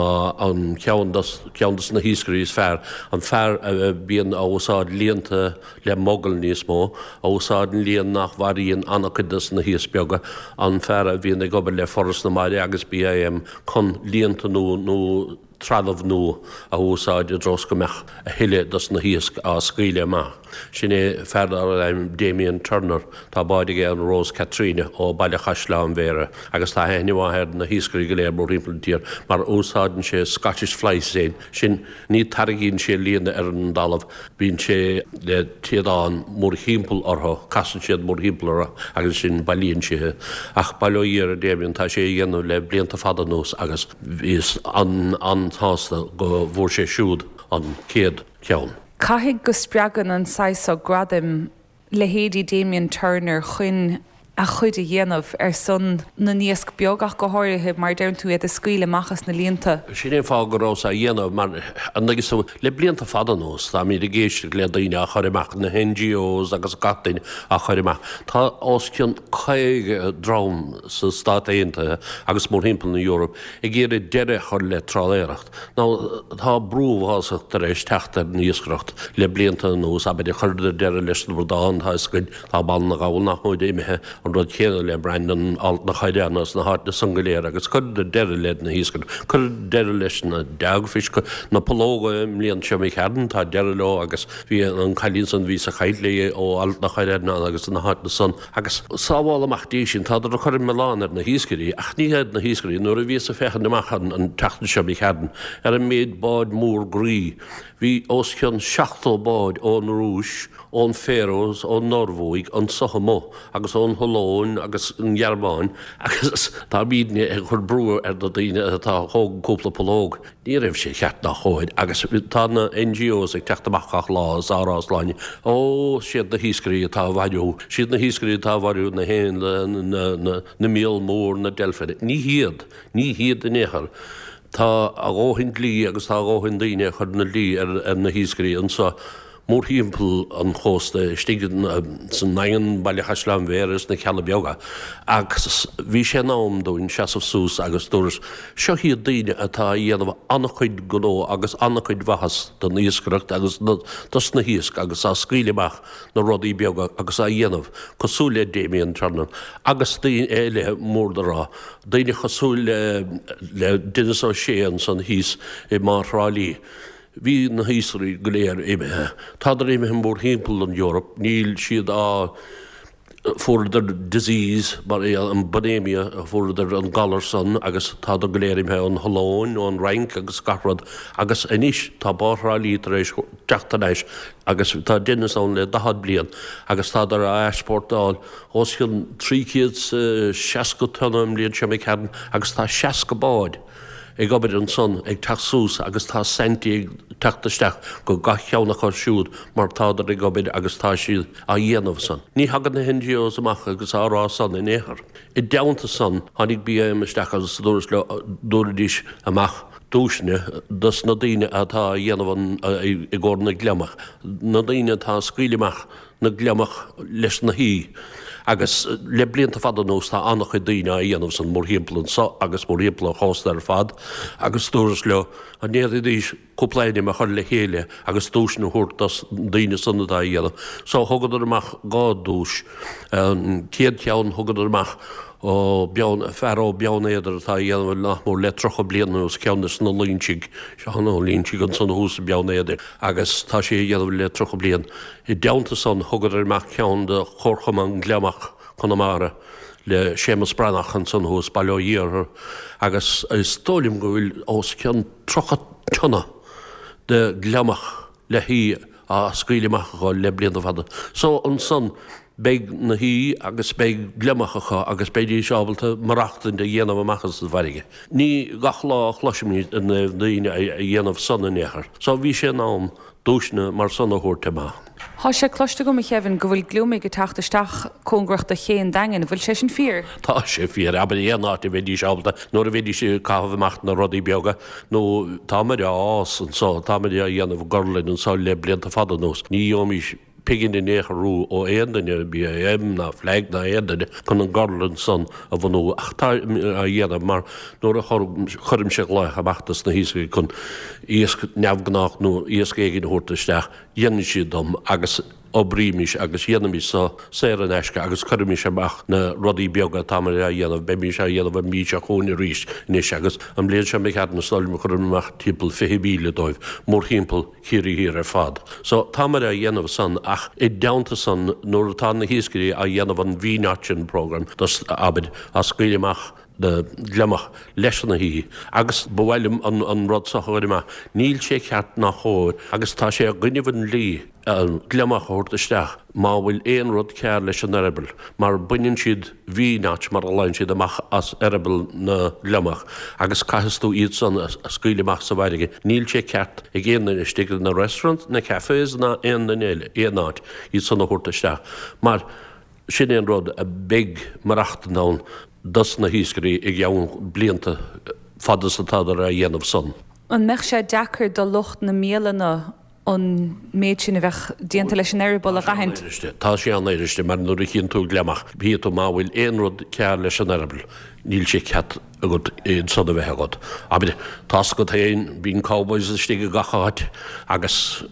an ceann dos ceann dos na hiascairí is fearr an fear a bhíonn a úsáid líonta le mogall níos mó, a úsáideann líon nach mharaíonn an-chuid dos na hiasc beaga, an fear a bhíonn ag obair le Foras na Mara agus BIM chun líonta nua nó trealamh nua a úsáid i dtreo is go mbeadh a thuilleadh dos na hiasc á scaoileadh amach. Sin é fear darb ainm Damien Turner. Tá bád aige an Rose Katrina ó Baile Chaisleáin Bhéarra agus tá aithne mhaith ar na hiascairí go léir mórthimpeall an tír mar úsáideann sé Scottish fly seine. Sin ní tarraingíonn sé líne ar an dtalamh, bíonn sé le téadán mórthimpeall orthu, casann siad mórthimpeall orthu agus ansin bailíonn sé. Ach bail ó Dhia ar Damien, tá sé a dhéanamh le blianta fada anuas agus bhíos an an-sásta go bhfuair sé siúd an chéad cheann. Caithfidh go spreagann an saghas seo gradaim leithéidí Damien Turner chun a chuid a dhéanamh ar son na n-iasc beag ach go háirithe mar deireann tú iad a scaoileadh amach as na líonta. Sin é an fáth go rabhas á dhéanamh mar an agus le blianta fada anuas táimid ag éisteacht le daoine á chur amach na NGOs agus gach duine á chur amach. Tá os cionn caoga dream sa Stát Aontaithe agus mórthimpeall na Eorpa ag iarraidh deireadh a chur le trálaeireacht. Now tá brú uafásach tar éis teacht ar an iascaireacht le blianta anuas, abair chuireadar deireadh leis na bradáin, tá a fhios againn, tá Baile na nGall nach móide imithe, an rud céanna le Brandon, Alt na Coireanna agus na háiteanna san go léir agus cuireadar deireadh le na hiascaireacht, cuireadar deireadh leis na dogfish, na pollóga i mbliain seo imigh tharainn, tá deireadh leo agus bhí an cailín san bhí sa chaint léi ó Alt na Coireanna agus na háiteanna san agus sábháil amach dtí sin, tádar ag cur an milleán ar na hiascairí ach ní hiad na hiascairí, nuair a bhíos ag féachaint amach an tseachtain seo imigh tharainn ar an méid báid mór groí, bhí os cionn seachtó bád ón Rúis, ón Faroes, ón Norbhuaidh, anso amuigh agus ón Ollainn agus an Ghearmáin agus táimidne ag cur brú ar na daoine atá ag thógaint cúpla pollóg. Ní raibh sé ceart ná chóir agus tá na NGOs ag teacht amach gach lá is á rá a Shláine, ó, siad na hiascairí atá á mharú, siad na hiascairí atá á mharú na héanlaith, na míol mór, na deilfeanna. Ní hiad, ní hiad in aon chor. Tá a dhóthain dlí agus tá a dhóthain daoine ag cur na dlí ar na hiascairí anso mórthimpeall an chósta, istigh sa nDaingean, Baile Chaisleáin Bhéarra is na Cealla Beaga. Agus bhí sé in am dúinn seasamh suas agus dúras, seo hiad daoine atá a dhéanamh an-chuid gnó agus an-chuid mhaitheas don iascaireacht agus dos na hiasc agus á scaoileadh amach na rudaí beaga agus á dhéanamh cosúil le Damien Turner agus daoine eile mór le rá. Daoine cosúil le Denis O'Shea ansan thíos i mBá Thrá Lí. Bhí na hiascairí go léir imithe. Tádar imithe mórthimpeall an Eoraip. Níl siad á fuaireadar disease mar é an Bonamia, fuaireadar an galar san agus tádar go léir imithe ón Ollainn, ón Fhrainc agus gach rud. Agus anois tá Bá Thrá Lí tar éis teacht thar n-ais agus tá Denis ann le daichead bliain agus tádar á easpórtáil os cionn trí chéad 's seasca tonna an mbliain seo imigh tharainn agus tá seasca bád ag obair ansan ag teacht suas agus tá saintí ag teacht isteach go gach ceann acu siúd mar tádar ag obair agus tá siad á dhéanamh san. Ní thagann na NGOs amach agus á rá san in aon chor. I dteannta san tháinig BIM isteach agus dúras leo dtabharfaidís amach duaiseanna dos na daoine atá a dhéanamh an i gcomhair na gliomach, na daoine atá ag scaoileadh amach na gliomach leis na haoi. Agus le blianta fada anuas tá an-chuid daoine á dhéanamh san mórthimpeall anso agus mórthimpeall an chósta ar fad agus dúras leo an ndéanfaidís cúpla ainm a chur le chéile agus duaiseanna a thabhairt dos na daoine san atá á dhéanamh. So thugadar amach dhá duais. An chéad cheann thugadar amach ó Beann, fear ó Beann Éadair atá á dhéanamh nach mór le tríocha bliain anuas, ceann des na Loinsigh, Seán Ó Loinsigh ansan thuas i Beann Éadair agus tá sé á dhéanamh le tríocha bliain. I dteannta san thugadar amach ceann do Chomharchumann Gliomach Chonamara le Séamus Breathnach ansan thuas, Baile Ó hIarthair agus is dóigh liom go bhfuil os cionn tríocha tonna de ghliomach le haoi á scaoileadh amach acu le blianta fada. So ansan beidh na haoi agus beidh gliomach acu agus beidís ábalta maireachtaint a dhéanamh amach as an bhfarraige. Ní gach lá a chloisimid i dtaobh daoine a dhéanamh san in aon chor. So bhí sé in am duaiseanna mar san a thabhairt amach. Tá sé cloiste agam, a Kevin, go bhfuil gliomaigh ag teacht isteach cóngarach do ché an Daingin. An bhfuil sé sin fíor? Tá sé fíor. Abair aon áit a bheidís ábalta, nuair a bheidís ag caitheamh amach na rudaí beaga, nó táimid á fhás anso, táimid á dhéanamh gorlann anso le blianta fada anuas. Ní gheobhaimis pingin in aon chor ó aon duine, BIM ná FLAG ná aon duine, chun an gorlann san a bhunú. Ach tá á dhéanamh mar nuair a chuirimse glaoch amach dos na hiascairí chun iasc neamhghnách nó iasc éigin a thabhairt isteach, dhéanann siad dom agus oibrímis agus dhéanaimis so saor in aisce agus cuirimis amach na rudaí beaga atáimid á dhéanamh, beimís á dhéanamh an mhí seo chugainn arís anois agus an bhliain seo imigh tharainn is dóigh liom chuireamar amach timpeall fiche míle dóibh mórthimpeall Chiarraí Thiar ar fad. So táimid á dhéanamh san ach i dteannta san nuair atá na hiascairí á dhéanamh an V-notching programme, abair, á scaoileadh amach na gliomach leis na haoi agus ba mhaith liom an an rud seo a chur amach. Níl sé ceart ná chóir agus tá sé i gcoinnibh an dlí an gliomach a thabhairt isteach má bhfuil aon rud cearr leis an eireaball mar baineann siad V-notch mar a ghlaonn siad amach as eireaball na gliomach agus caithfidh tú iad san a scaoileadh amach sa bhfarraige. Níl sé ceart ag aon duine istigh na restaurants, na cafés ná aon duine eile, aon áit, iad san a thabhairt isteach mar sin é an rud a bheidh maireachtaint ann dos na hiascairí i gceann blianta fad is atádar á dhéanamh san. An mbeadh sé deacair do lucht na mbialanna an méid sin a bheadh déanta leis an eireaball a dh'aithint? Tá sé an-fhuiriste mar nuair a chíonn tú gliomach, chífidh tú má bhfuil aon rud cearr leis an eireaball, níl sé ceart agat iad san a bheith agat. Abair, tá's agat féin, bíonn cowboys istigh i gach áit agus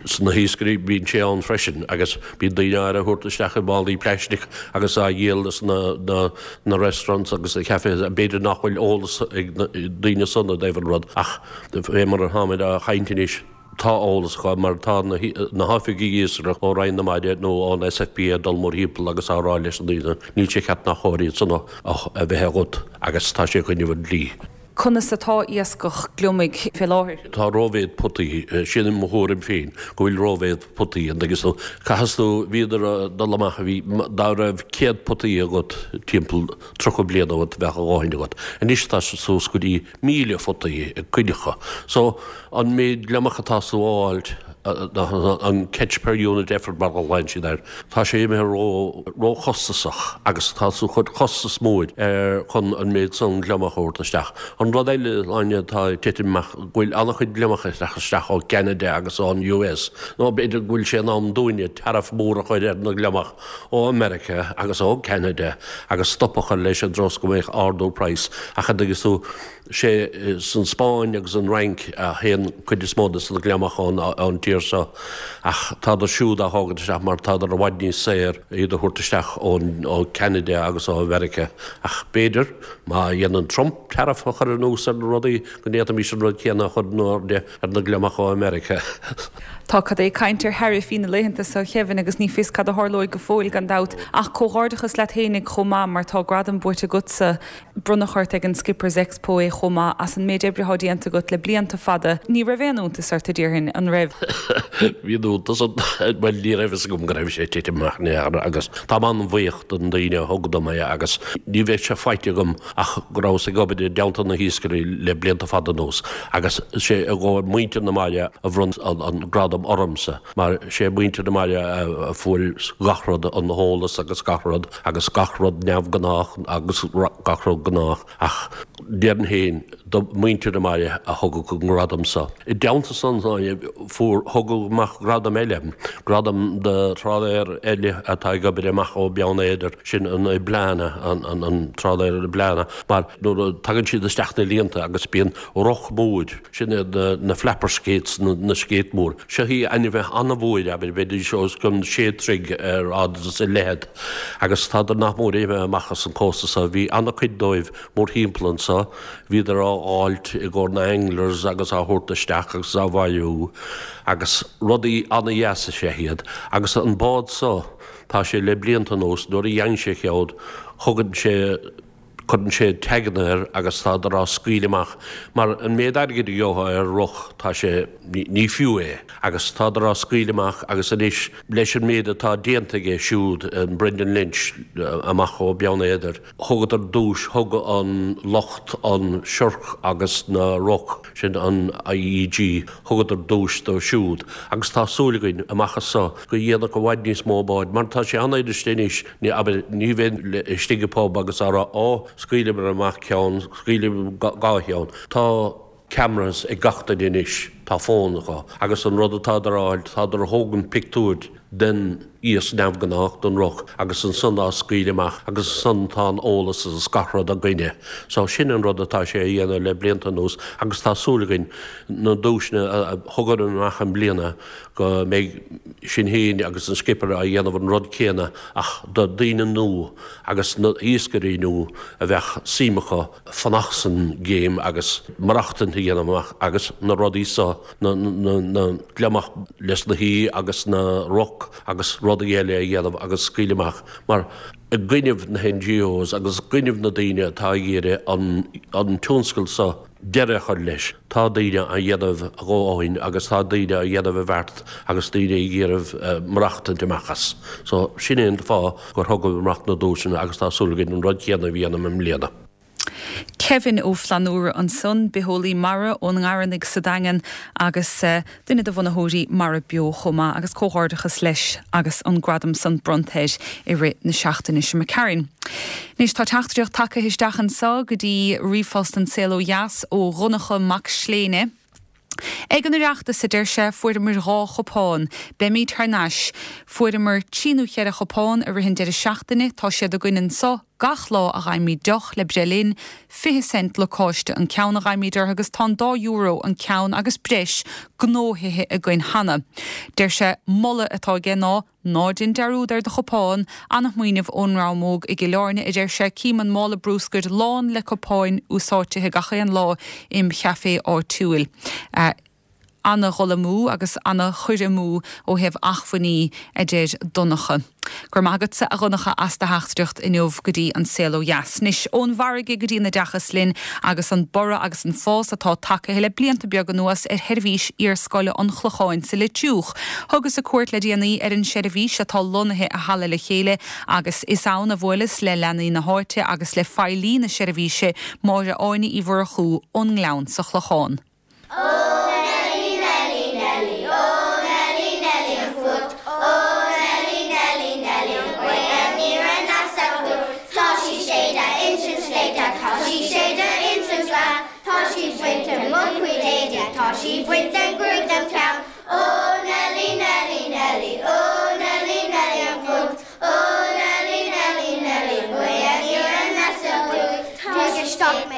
sna hiascairí bíonn sé ann freisin agus bíonn daoine á thabhairt isteach i málaí plaisteach agus á dhíol sna na na restaurants agus na cafés. B'fhéidir nach bhfuil eolas ag na daoine san i dtaobh an rud ach fé mar atáimid á chaint anois, tá eolas acu mar tá na na hoifigigh iascaireachta ó Roinn na Mara nó ón SFB ag dul mórthimpeall agus á rá leis na daoine níl sé ceart ná chóir iad san a bheith agat agus tá sé i gcoinnibh an dlí. Conas atá iascach gliomaigh fé láthair? Tá rómhéid potaí, sin mo thuairim féin, go bhfuil rómhéid potaí an dtuigeann tú. Caithfidh tú, bhíodar ag dul amach, bhí, dá raibh céad potaí agat timpeall tríocha bliain ó shin bheadh a dhóthain agat. Anois tá sé suas go dtí míle photaí ag cuid acu. So, an méid gliomach atá tú a fháilt, an catch per unit effort mar a ghlaonn siad air, tá sé imithe ró, róchostasach agus tá tú ag cur costas mór ar chun an méid san gliomach a thabhairt isteach. An rud eile, Áine, atá ag titim amach, go bhfuil an-chuid gliomach ag teacht isteach ó Cheanada agus ón US, nó b'fhéidir go bhfuil sé in am dúinne tariff mór a chur ar na gliomach ó America agus ó Cheanada agus stop a chur leis i dtreo is go mbeadh ardú praghas ach an dtuigeann tú, sé san Spáinn agus an Fhrainc a théann cuid is mó de na gliomach ón tír seo ach tádar siúd á thógaint isteach mar tádar i bhfad níos saor iad a thabhairt isteach ó Ceanada agus ó Mheiriceá. Ach b'fhéidir, má dhéanann Trump tariff a chur anuas ar na rudaí, go ndéanfaimis an rud céanna a chur in airde ar na gliomach ó Mheiriceá. Tá cad é caint ar tharaifí na laethanta seo, Kevin, agus ní fios cad a tharlóidh go fóill gan dabht. Ach comhghairdeachas leat fhéinig chomh maith mar tá gradam buaite agatsa. Bronnadh ort ag an Skippers Expo é chomh maith as an méid oibre atá déanta agat le blianta fada. Ní raibh aon iontas ort, a déarfainn, an raibh? Bhí iontas orm, bhuel ní raibh fhios agam go raibh sé ag titim amach in aon chor agus táim an-bhuíoch don daoine a thug dom é agus ní bheadh sé faighte agam ach go rabhas ag obair i dteannta na hiascairí le blianta fada anuas agus sé i gcomhair muintir na mara a bhronn an gradam ormsa mar sé muintir na mara a fuair gach rud, an t-eolas agus gach rud agus gach rud neamhghnách agus gach rud gnách ach déarfainn féin do muintir na mara a thugadh an gradam so. I dteannta san fuair thugadh amach gradam eile, gradam do trálaer eile atá ag obair amach ó Beann Éadair, sin an Eblana, an an an trálaer Eblana, mar nuair a tagann siad isteach na líonta agus bíonn roc mór, sin iad na na flapper skates, na na skate mór. Seo í ainmhithe an-mhór, abair, bheidís os cionn sé troigh ar fhad is i leithead agus tádar nach mór imithe amach as an cósta so. Bhí an-chuid dóibh mórthimpeall anso. Bhíodar á fháilt i gcomhair na anglers agus á thabhairt isteach agus á bhailiú agus rudaí an-dheas is ea iad. Agus an bád so, tá sé le blianta anuas, nuair a dhéanann sé cead, thugann sé, cuireann sé taganna air agus tádar á scaoileadh amach mar an méid airgid a gheofá ar roc, tá sé, ní fiú é. Agus tádar á scaoileadh amach agus anois leis an méid atá déanta aige siúd, an Brendan Lynch amach ó Beann Éadair, thugadar duais, thug an lucht an siorc agus na roc, sin an IEG, thugadar duais dó siúd agus tá súil againn amach as so go dhéanfadh i bhfad níos mó báid mar tá sé an-fhuirist anois, ní, abair, ní bheinn istigh i bpub agus á rá, ó, scaoileamar amach ceann, scaoileamar dhá cheann. Tá cameras ag gach duine anois, tá fón acu agus an rud atádar a fháil, tádar a thógaint pictiúir den iasc neamhghnách, den roc agus ansan á scaoileadh amach agus ansan tá an eolas agus gach rud againne. So sin an rud atá sé a dhéanamh le blianta anuas agus tá súil againn na duaiseanna a thugadar amach i mbliana go mbeidh sinn féin agus an Skipper á dhéanamh an rud céanna ach do daoine nua agus na iascairí nua a bheadh suim acu fanacht san game agus maireachtaint a dhéanamh amach agus na rudaí so, na na gliomach leis na haoi agus na roc agus rudaí eile a dhéanamh agus scaoileadh amach mar i i gcoinnibh na N G Os agus gcoinnibh na daoine atá ag iarraidh an, an tionscal seo deireadh a chur leis. Tá daoine á dhéanamh a dhóthain agus tá daoine á dhéanamh i bhfeart agus daoine ag iarraidh uh, maireachtaint amach as. So sin é an fáth gur thugamar amach na duaiseanna agus tá súil againn an rud céanna a dhéanamh i mbliana. Kevin Ó Flannúra ansan, bitheolaí mara ón nGarranaigh sa Daingean agus uh, duine de bhunaitheoirí Mara Beo chomh maith agus comhghairdeachas leis agus an gradam san bronnta air i rith na seachtaine seo Karen. Anois tá teachtaireacht tagtha isteach anseo go dtí ríomhphost An Saol Ó Dheas ó Dhonncha Mac Sléine. Ag an Oireachtas a deir sé fuaireamar dhá chupán, Beimid thar n-ais, fuaireamar trí nó ceithre chupán i rith an deireadh seachtaine tá siad againn anseo gach lá a fhaighimid deoch le breith linn, fiche cent lacáiste an ceann a fhaighimid orthu agus tá an dá euro an ceann agus breis gnóthaithe againn cheana. Deir sé moladh atá aige ná ná déan dearúd ar do chupán ana-smaoineamh ón Rámóg i gCill Airne a deir sé cím an mála bruscair lán le cupáin úsáidte gach aon lá im chaifé áitiúil. Uh, an-dhul amú agus an-chur amú ó thaobh acmhainní a deir Donncha. Gur magadsa a Dhonncha as do theachtaireacht inniu go dtí An Saol Ó Dheas. Anois ón bhfarraige go dtí an oideachas linn agus an borradh agus an fás atá tagtha le blianta beaga anuas ar sheirbhís iarscoile an Chlocháin sa Leitriúch. Thugas cuairt le déanaí ar an seirbhís atá lonnaithe i Halla Le Chéile agus is ann a bhuaileas le leanaí na háite agus le feighlí na seirbhíse Máire Áine Uí Mhurchú ón nGleann sa Chlochán. Oh Nelly Nelly Nelly oh Nelly Nelly an fuacht oh Nelly Nelly Nelly an ghaoth aniar aneas aduaidh Tá sí séidte insan sléibhte tá sí séidte insan gleann Tá sí bainte mo chuid éadaí tá sí bainte gruaig dem cheann Oh Nelly Nelly Nelly oh Nelly Nelly an fuacht oh Nelly Nelly Nelly an ghaoth aniar aneas aduaidh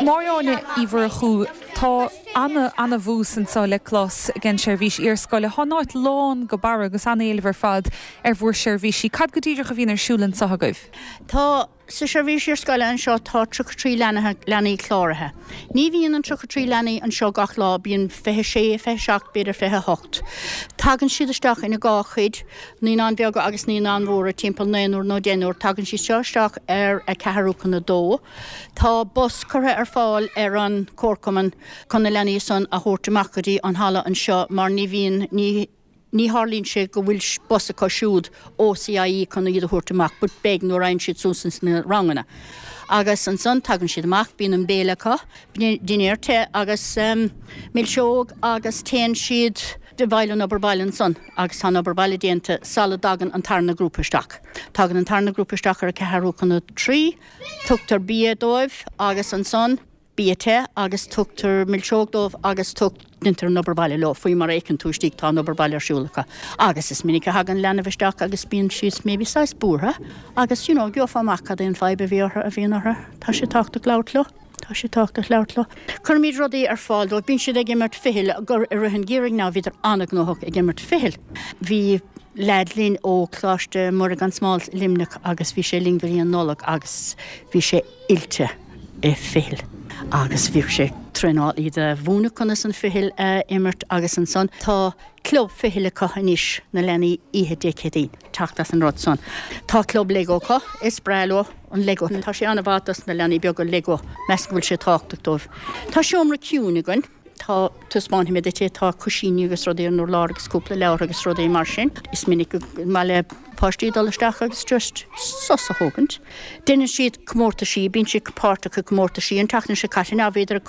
Máire Áine Uí Mhurchú tá ana ana-bhús anseo le clos den seirbhís iarscoile Tá an áit lán go barr agus an-éileamh ar fad ar bhur seirbhísí. Cad go díreach a bhíonn ar siúl anseo agaibh? Tá sa seirbhís iarscoile anseo tá tríocha trí leanaí cláraithe. Ní bhíonn an tríocha trí leanaí anseo gach lá bíonn fiche sé fiche seacht b'fhéidir fiche hocht. Tagann siad isteach ina dhá chuid, naíonáin bheaga agus naíonáin mhóra timpeall naonúr nó deichniúr, tagann siad seo isteach ar a ceathrú chun a dó. Tá bus curtha ar fáil ar an chomharchumann chun na leanaí san a thabhairt amach go dtí an halla anseo mar ní bhíonn ní ní tharlaíonn sé go bhfuil bus acu siúd ó C I E chun iad a thabhairt amach, but beidh nuair a théann siad suas sna ranganna. Agus ansan tagann siad amach bíonn an béile acu, dinnéar te agus um, milseog agus téann siad de bhaile an obair baile ansan agus tá obair baile déanta sula dtagann an tarna grúpa isteach. Tagann an tarna grúpa isteach ar a ceathrú chun a trí, tugtar bia dóibh agus ansan bia te agus tugtar milseog dóibh agus tug déantar an obair baile leo faoi mar fheiceann tú istigh tá an obair baile ar siúl acu. Agus is minic a thagann leanbh isteach agus bíonn siad maybe saghas buartha, agus you know, gheofá amach cad é an fadhb a bhí orthu a bhíonn orthu. Tá sé tábhachtach labhairt leo. Tá sé tábhachtach labhairt leo. Cuirimid rudaí ar fáil dóibh bíonn siad ag imirt fichille gur i rith an gheimhridh ná bhíodar an-ghnóthach ag imirt fichille. Bhí leaid linn ó Choláiste Mhuire gan Smál Luimneach agus bhí sé linn go dtí an Nollaig agus bhí sé oilte i fichille. Agus bhí sé traenáil iad a mhúineadh conas an fichille a imirt agus ansan tá club fichille acu anois na leanaí oíche Dé Céadaoin teacht as an rud san. Tá club Lego acu is breá leo an Lego. Tá sé an-mhaith dos na leanaí beaga Lego meas go bhfuil sé tábhachtach dóibh. Tá seomra ciúin againn. Tá taispeánfaidh mé duit tá cúisíní agus rudaí ar an urlár agus cúpla leabhar agus rudaí mar sin. Is minic go maith le páistí dul isteach agus just sos a thógaint. Déanann siad comórtaisí, bíonn siad páirteach i comórtaisí an tseachtain seo caite ná bhíodar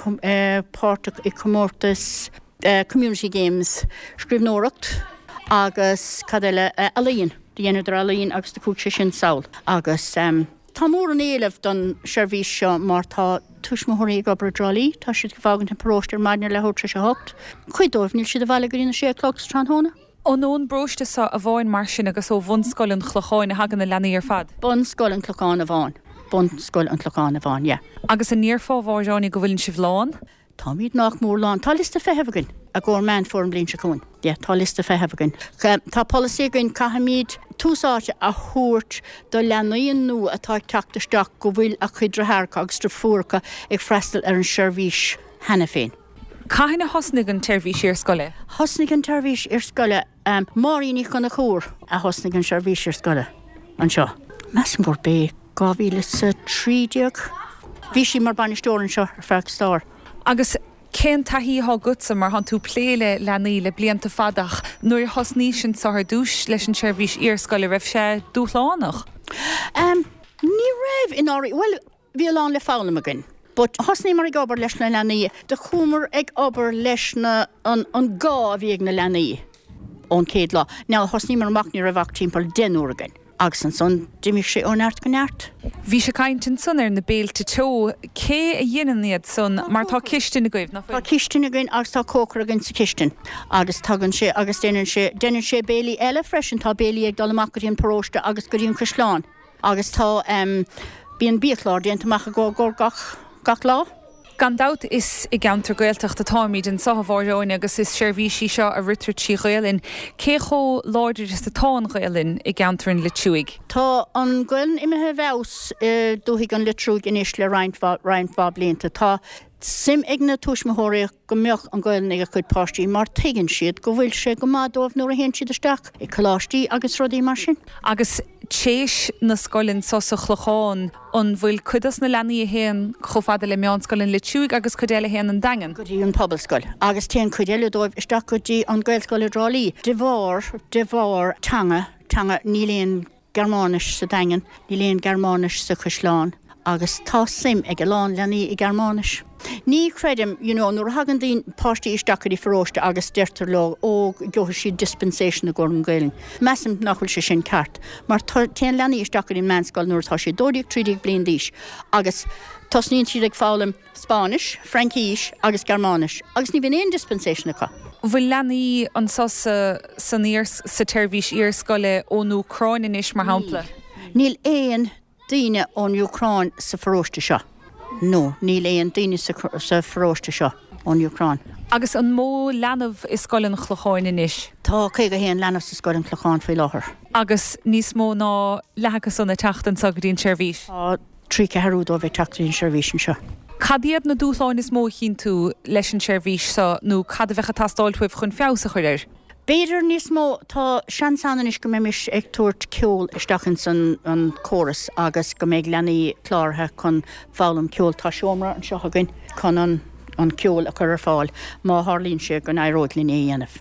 páirteach i comórtas uh, Community Games scríbhneoireacht agus cad eile uh, ealaín, dhéanadar ealaín agus do chuaigh sé sin sall. Agus um, tá mór an éileamh don seirbhís seo mar tá tuismitheoirí ag obair i dTrá Lí, tá siad ag fágaint an paróiste ar maidin leathuair tar éis a hocht. Cuid dóibh níl siad abhaile go dtí a sé chlog sa tráthnóna. An ón bparóiste seo amháin mar sin agus ó Bhunscoil an Chlocháin a thagann na leanaí ar fad. Bunscoil an Chlocháin amháin. Bunscoil an Chlocháin amháin, yeah. Agus an ndéarfá a Mháire Áine go bhfuil sibh lán? Táimid nach mór lán Tá liosta feithimh againn i gcomhair Meán Fómhair an bhliain seo chugainn. Yeah, tá liosta feithimh againn. Tá polasaí againn caithfimid tús áite a thabhairt do leanaí nua atá ag teacht isteach go bhfuil a chuid deartháireacha agus deirfiúracha ag freastal ar an seirbhís cheana féin. Cathain a thosnaigh an tseirbhís iarscoile? Thosnaigh an tseirbhís iarscoile um, Máirín Ní Chonchúir a thosnaigh an seirbhís iarscoile anseo. Measaim gurb é dhá mhíle is a trí déag. Bhí sí mar bainisteoir anseo ar feadh stair. Agus cén taithí atá agatsa mar thánn tú ag plé le leanaí le blianta fada ach nuair a thosnaís anseo ar dtús leis an tseirbhís iarscoile raibh sé dúshlánach? Um, ní raibh in áirí, bhuel, bhí a lán le foghlaim againn. But thosnaíomar ag obair leis na leanaí, do chuamar ag obair leis na, an, an gá a bhí ag na leanaí ón chéad lá. Now thosnaíomar amach ní raibh ach timpeall deichniúr againn. Agus ansan d'imigh sé ó neart go neart. Bhís ag caint ansan ar na béilte teo, cé a dhéanann iad san mar tá cistin agaibh, nach Tá bhfuil? cistin againn agus tá cócaire againn sa chistin. Agus tagann sé agus déanann sé, déanann sé béilí eile freisin, tá béilí ag dul amach go dtí an paróiste agus go dtí an caisleán. Agus tá um, bíonn biachlár déanta amach i gcomhair gach, gach lá. Gan dabht is i gceantar Gaeltachta atáimid anseo a Mháire Áine agus is seirbhís í seo a ritear trí Ghaelainn. Cé chomh láidir is atá an Ghaelainn i gceantar an Leitriúigh? Tá an Ghaelainn imithe i bhfeabhas i dúthaigh an Leitriúigh anois le roinnt roinnt mhaith blianta. Tá suim ag na tuismitheoirí go mbeadh an Ghaelainn ag a gcuid páistí mar tuigeann siad go bhfuil sé go maith dóibh nuair a théann siad isteach i coláistí agus rudaí mar sin. Agus téis na scoile anseo sa Chlochán an bhfuil cuid dos na leanaí a théann chomh fada le meánscoil an Leitriúigh agus cuid eile a théann an Daingean. Go dtí an Pobalscoil, agus téann cuid eile dóibh isteach go dtí an Gaelscoil i dTrá Lí. De bharr, de bharr teanga, teanga níl aon Gearmáinis sa Daingean, níl aon Gearmáinis sa Chaisleán, agus tá suim ag a lán leanaí i Gearmáinis. Ní chreidim, you know, nuair a thagann daoine páistí isteach go dtí pharóiste agus deirtear leo ó gheobhaidh siad dispensation i gcomhair an Ghaelainn. Measaim nach bhfuil sé sin ceart, mar téann leanaí isteach go dtí an meánscoil nuair atá siad dó dhéag trí déag bliain d'aois agus tosnaíonn siad ag foghlaim Spáinnis, Fraincis agus Gearmáinis, agus ní bhíonn aon dispensation acu. Bhfuil leanaí anseo sa san iar sa tseirbhís iarscoile ón Úcráin anois mar shampla? Níl aon daoine ón Úcráin sa pharóiste seo. No, níl aon daoine sa, sa pharóiste seo ón Úcráin. Agus an mó leanbh i Scoil an Chlocháin anois? Tá caoga haon leanbh sa Scoil an Chlocháin faoi láthair. Agus níos mó ná leath acu san ag teacht anseo go dtí an tseirbhís. Tá trí ceathrú dóibh ag teacht an seirbhís anseo. Cad iad na dúshláin is mó a chíonn tú leis an tseirbhís seo nó cad a bheadh ag teastáil uaibh chun feabhas a chur air? B'fhéidir níos mó tá seans ann anois go mbeimis ag tabhairt ceol isteach ins an, an córas agus go mbeidh leanaí cláraithe chun foghlaim ceol tá seomra anseo againn chun an, an ceol a chur ar fáil má tharlaíonn sé go n-éireoidh linn é a dhéanamh.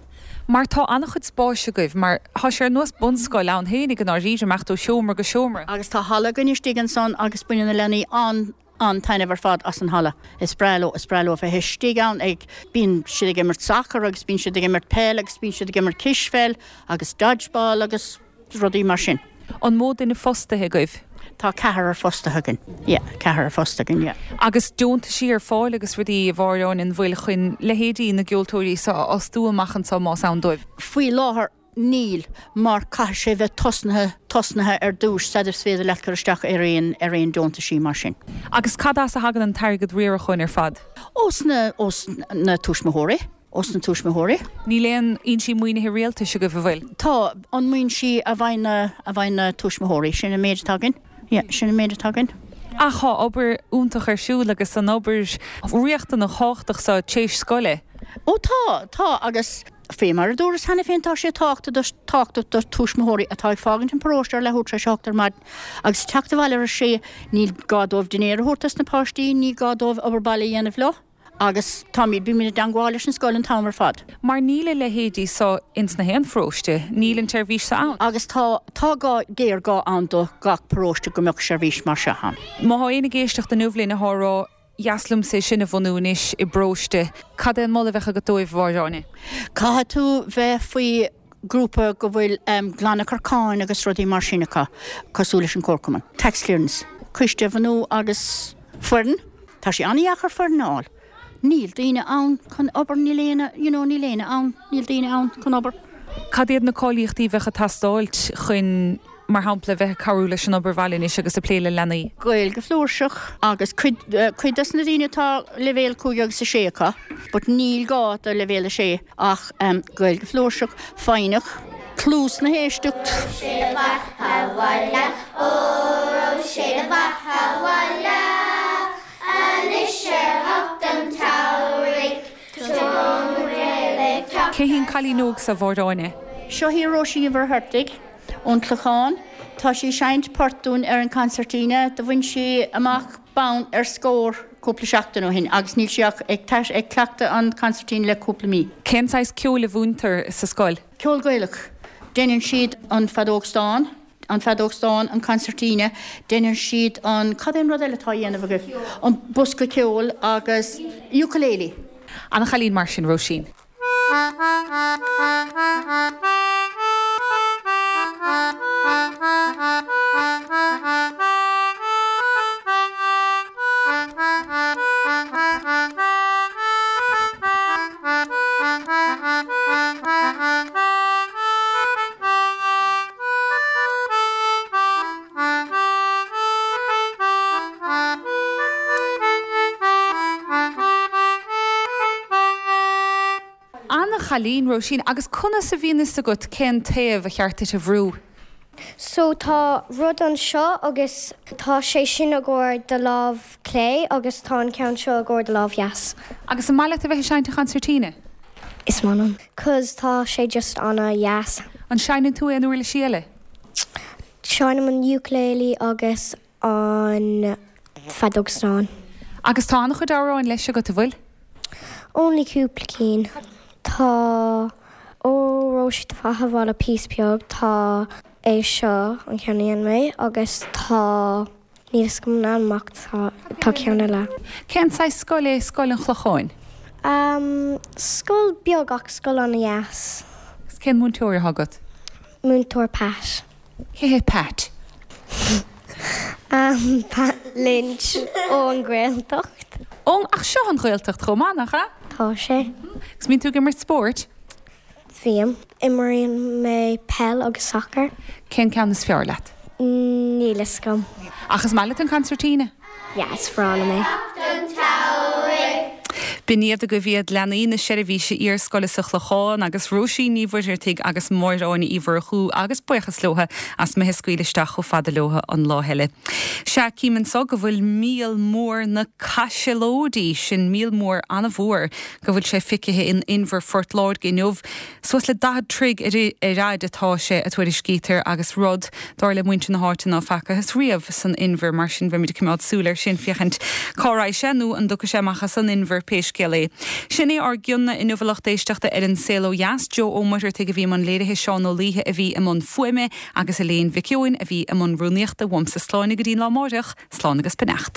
Mar tá an-chuid spáis agaibh, mar tá sé ar nós bunscoil ann féinig an áiríre imeacht ó seomra go seomra. Agus tá halla againn istigh ansan agus baineann na leanaí an an taitneamh ar fad as an halla. Is breá leo is breá leo bheith istigh ann ag bíonn siad ag imirt soccer agus bíonn siad ag imirt peil agus bíonn siad ag imirt cispheil agus dodgeball agus rudaí mar sin. An mó duine fostaithe agaibh? Tá ceathrar fostaithe againn. Yeah, ceathrar fostaithe againn, yeah. Agus deontaisí ar fáil agus rudaí a Mháire Áine an bhfuil chun leithéidí na gceoltóirí seo a fhostú amach anseo más ann dóibh. Faoi láthair níl mar caithfidh sé bheith tosnaithe tosnaithe ar dtús sula is féidir leat cur isteach ar aon ar aon deontaisí mar sin. Agus cad as a thagann an t-airgead riaracháin ar fad? Ós na ós na tuismitheoirí, ós na tuismitheoirí. Níl aon fhoinsí maoinithe rialtais agaibh an bhfuil? Tá an maoiniú a bhain na a bhain na tuismitheoirí sin an méid atá againn. Yeah, sin an méid atá againn. Ach tá obair iontach ar siúl agus an obair riachtanach thábhachtach seo téis scoile. Ó tá tá agus fé mar a dúras cheana féin tá sé tábhachtach tábhachtach do tuismitheoirí atá ag fágaint an paróiste ar leathuair tar éis a hocht ar maidin agus teacht abhaile ar a sé níl gá dóibh dinnéar a thabhairt dos na páistí, ní gá dóibh obair baile a dhéanamh leo. Agus táimid bímid i dteagmháil leis an scoil an t-am ar fad. Mar níl a leithéidí seo ins na haon pharóiste, níl an tseirbhís seo ann. Agus tá tá gá géarghá ann do gach paróiste go mbeadh seirbhís mar seo ann. Má tá éinne ag éisteacht inniu linn atá ag rá dheas liomsa é sin a bhunú anois i bparóiste, cad é an moladh a bheadh agat dóibh a Mháire Áine? Caithfidh tú bheith faoi grúpa go bhfuil um, glanachar cáin agus rudaí mar sin acu cosúil leis an Comharchumann. Tax clearance, coiste a bhunú agus foireann, Tá sé an-deacair foireann a fháil. Níl daoine ann chun obair níl éinne, you know, níl éinne ann, níl daoine ann chun obair. Cad iad na cáilíochtaí a bheadh ag teastáil chun mar shampla bheith ag cabhrú leis an obair bhaile anois agus ag plé le leanaí? Gaeilge flúirseach agus cuid uh, cuid des na daoine atá leibhéal cúig agus a sé acu, but níl gá do leibhéal a sé ach um, Gaeilge flúirseach, foighneach, cluas na héisteacht. Sé do bheatha abhaile, óró sé do bheatha abhaile. Anois ar theacht an tsamhraidh, Cé hí an cailín óg seo a Mháire Áine? Seo í Róisín Ní Mhuircheartaigh ón Chlochán Tá sí ag seinnt port dúinn ar an concertina, do bhain sí amach bonn ar Scór cúpla seachtain ó shin agus níl sí ach ag ag cleachtadh an concertina le cúpla mí. Cén saghas ceoil a mhúintear sa scoil? Ceol Gaelach. Déanann siad an feadóg stáin, an feadóg stáin, an concertina, déanann siad an cad é an rud eile atá á dhéanamh agaibh? An bosca ceoil agus ukulele. Ana-chailín mar sin, Róisín. Ana-chailín, Róisín, agus conas a bhíonn fhios agat cén taobh a cheart duit a bhrú? So tá rud anseo agus tá sé sin i gcomhair do lámh clé agus tá an ceann seo i gcomhair do lámh dheas. Agus an maith leat a bheith ag seinnt an chonsairtíne? Is maith liom. Cause tá sé just ana-dheas. An seinneann tú aon uirlisí eile? Seinnim an ukulele agus an feadóg stáin. Agus tá an-chuid amhráin leis agat, an bhfuil? Only cúpla cinn. Tá Ó Róise do Bheatha 'Bhaile Píosa Beag, tá é seo, an ceann a dhein mé, agus tá, níl fhios agam an ainm ach tá, tá ceann eile. Cén saghas scoil é Scoil an Chlocháin? Um, scoil beag ach scoil ana-dheas. Agus cén múinteoir atá agat? Múinteoir Pat. Cé hé Pat? Um, Pat Lynch ón Ghaeltacht. Ó, ach seo an Ghaeltacht chomh maith, nach ea? Tá sé. Agus mbíonn tú ag imirt spóirt? Bím. Imríonn mé peil agus sacar. Cén ceann is fearr leat? Níl fhios agam. Ach is maith leat an concertina? Yeah, is breá liom é. B'in iad agaibh iad leanaí na seirbhíse iarscoile sa Chlochán agus Róisín Ní Mhuircheartaigh agus Máire Áine Uí Mhurchú agus buíochas leotha as mé a scaoileadh isteach chomh fada leotha an lá eile. Sea, cím anso go bhfuil míol mór na caisealóidí, sin míol mór an-mhór, go bhfuil sé feicthe in Inbhear Phort Láirge inniu. Suas le daichead troigh ar fhaid atá sé, a tuairiscítear, agus rud, dar le muintir na háite, ná facthas riamh san inbhear. Mar sin, beimid ag coimeád súil air sin féachaint cá raghaidh sé nó an dtiocfaidh sé amach as an inbhear pé scéal é. Sin é ár gcion inniu a lucht éisteachta ar An Saol Ó Dheas. Joe Ó Muircheartaigh a bhí i mbun léirithe, Seán Ó Laoithe a bhí i mbun fuaime agus Elaine Mhic Eoin a bhí i mbun rúnaíochta. Uaimse Sláine go dtí an lá amáireach, slán agus beannacht.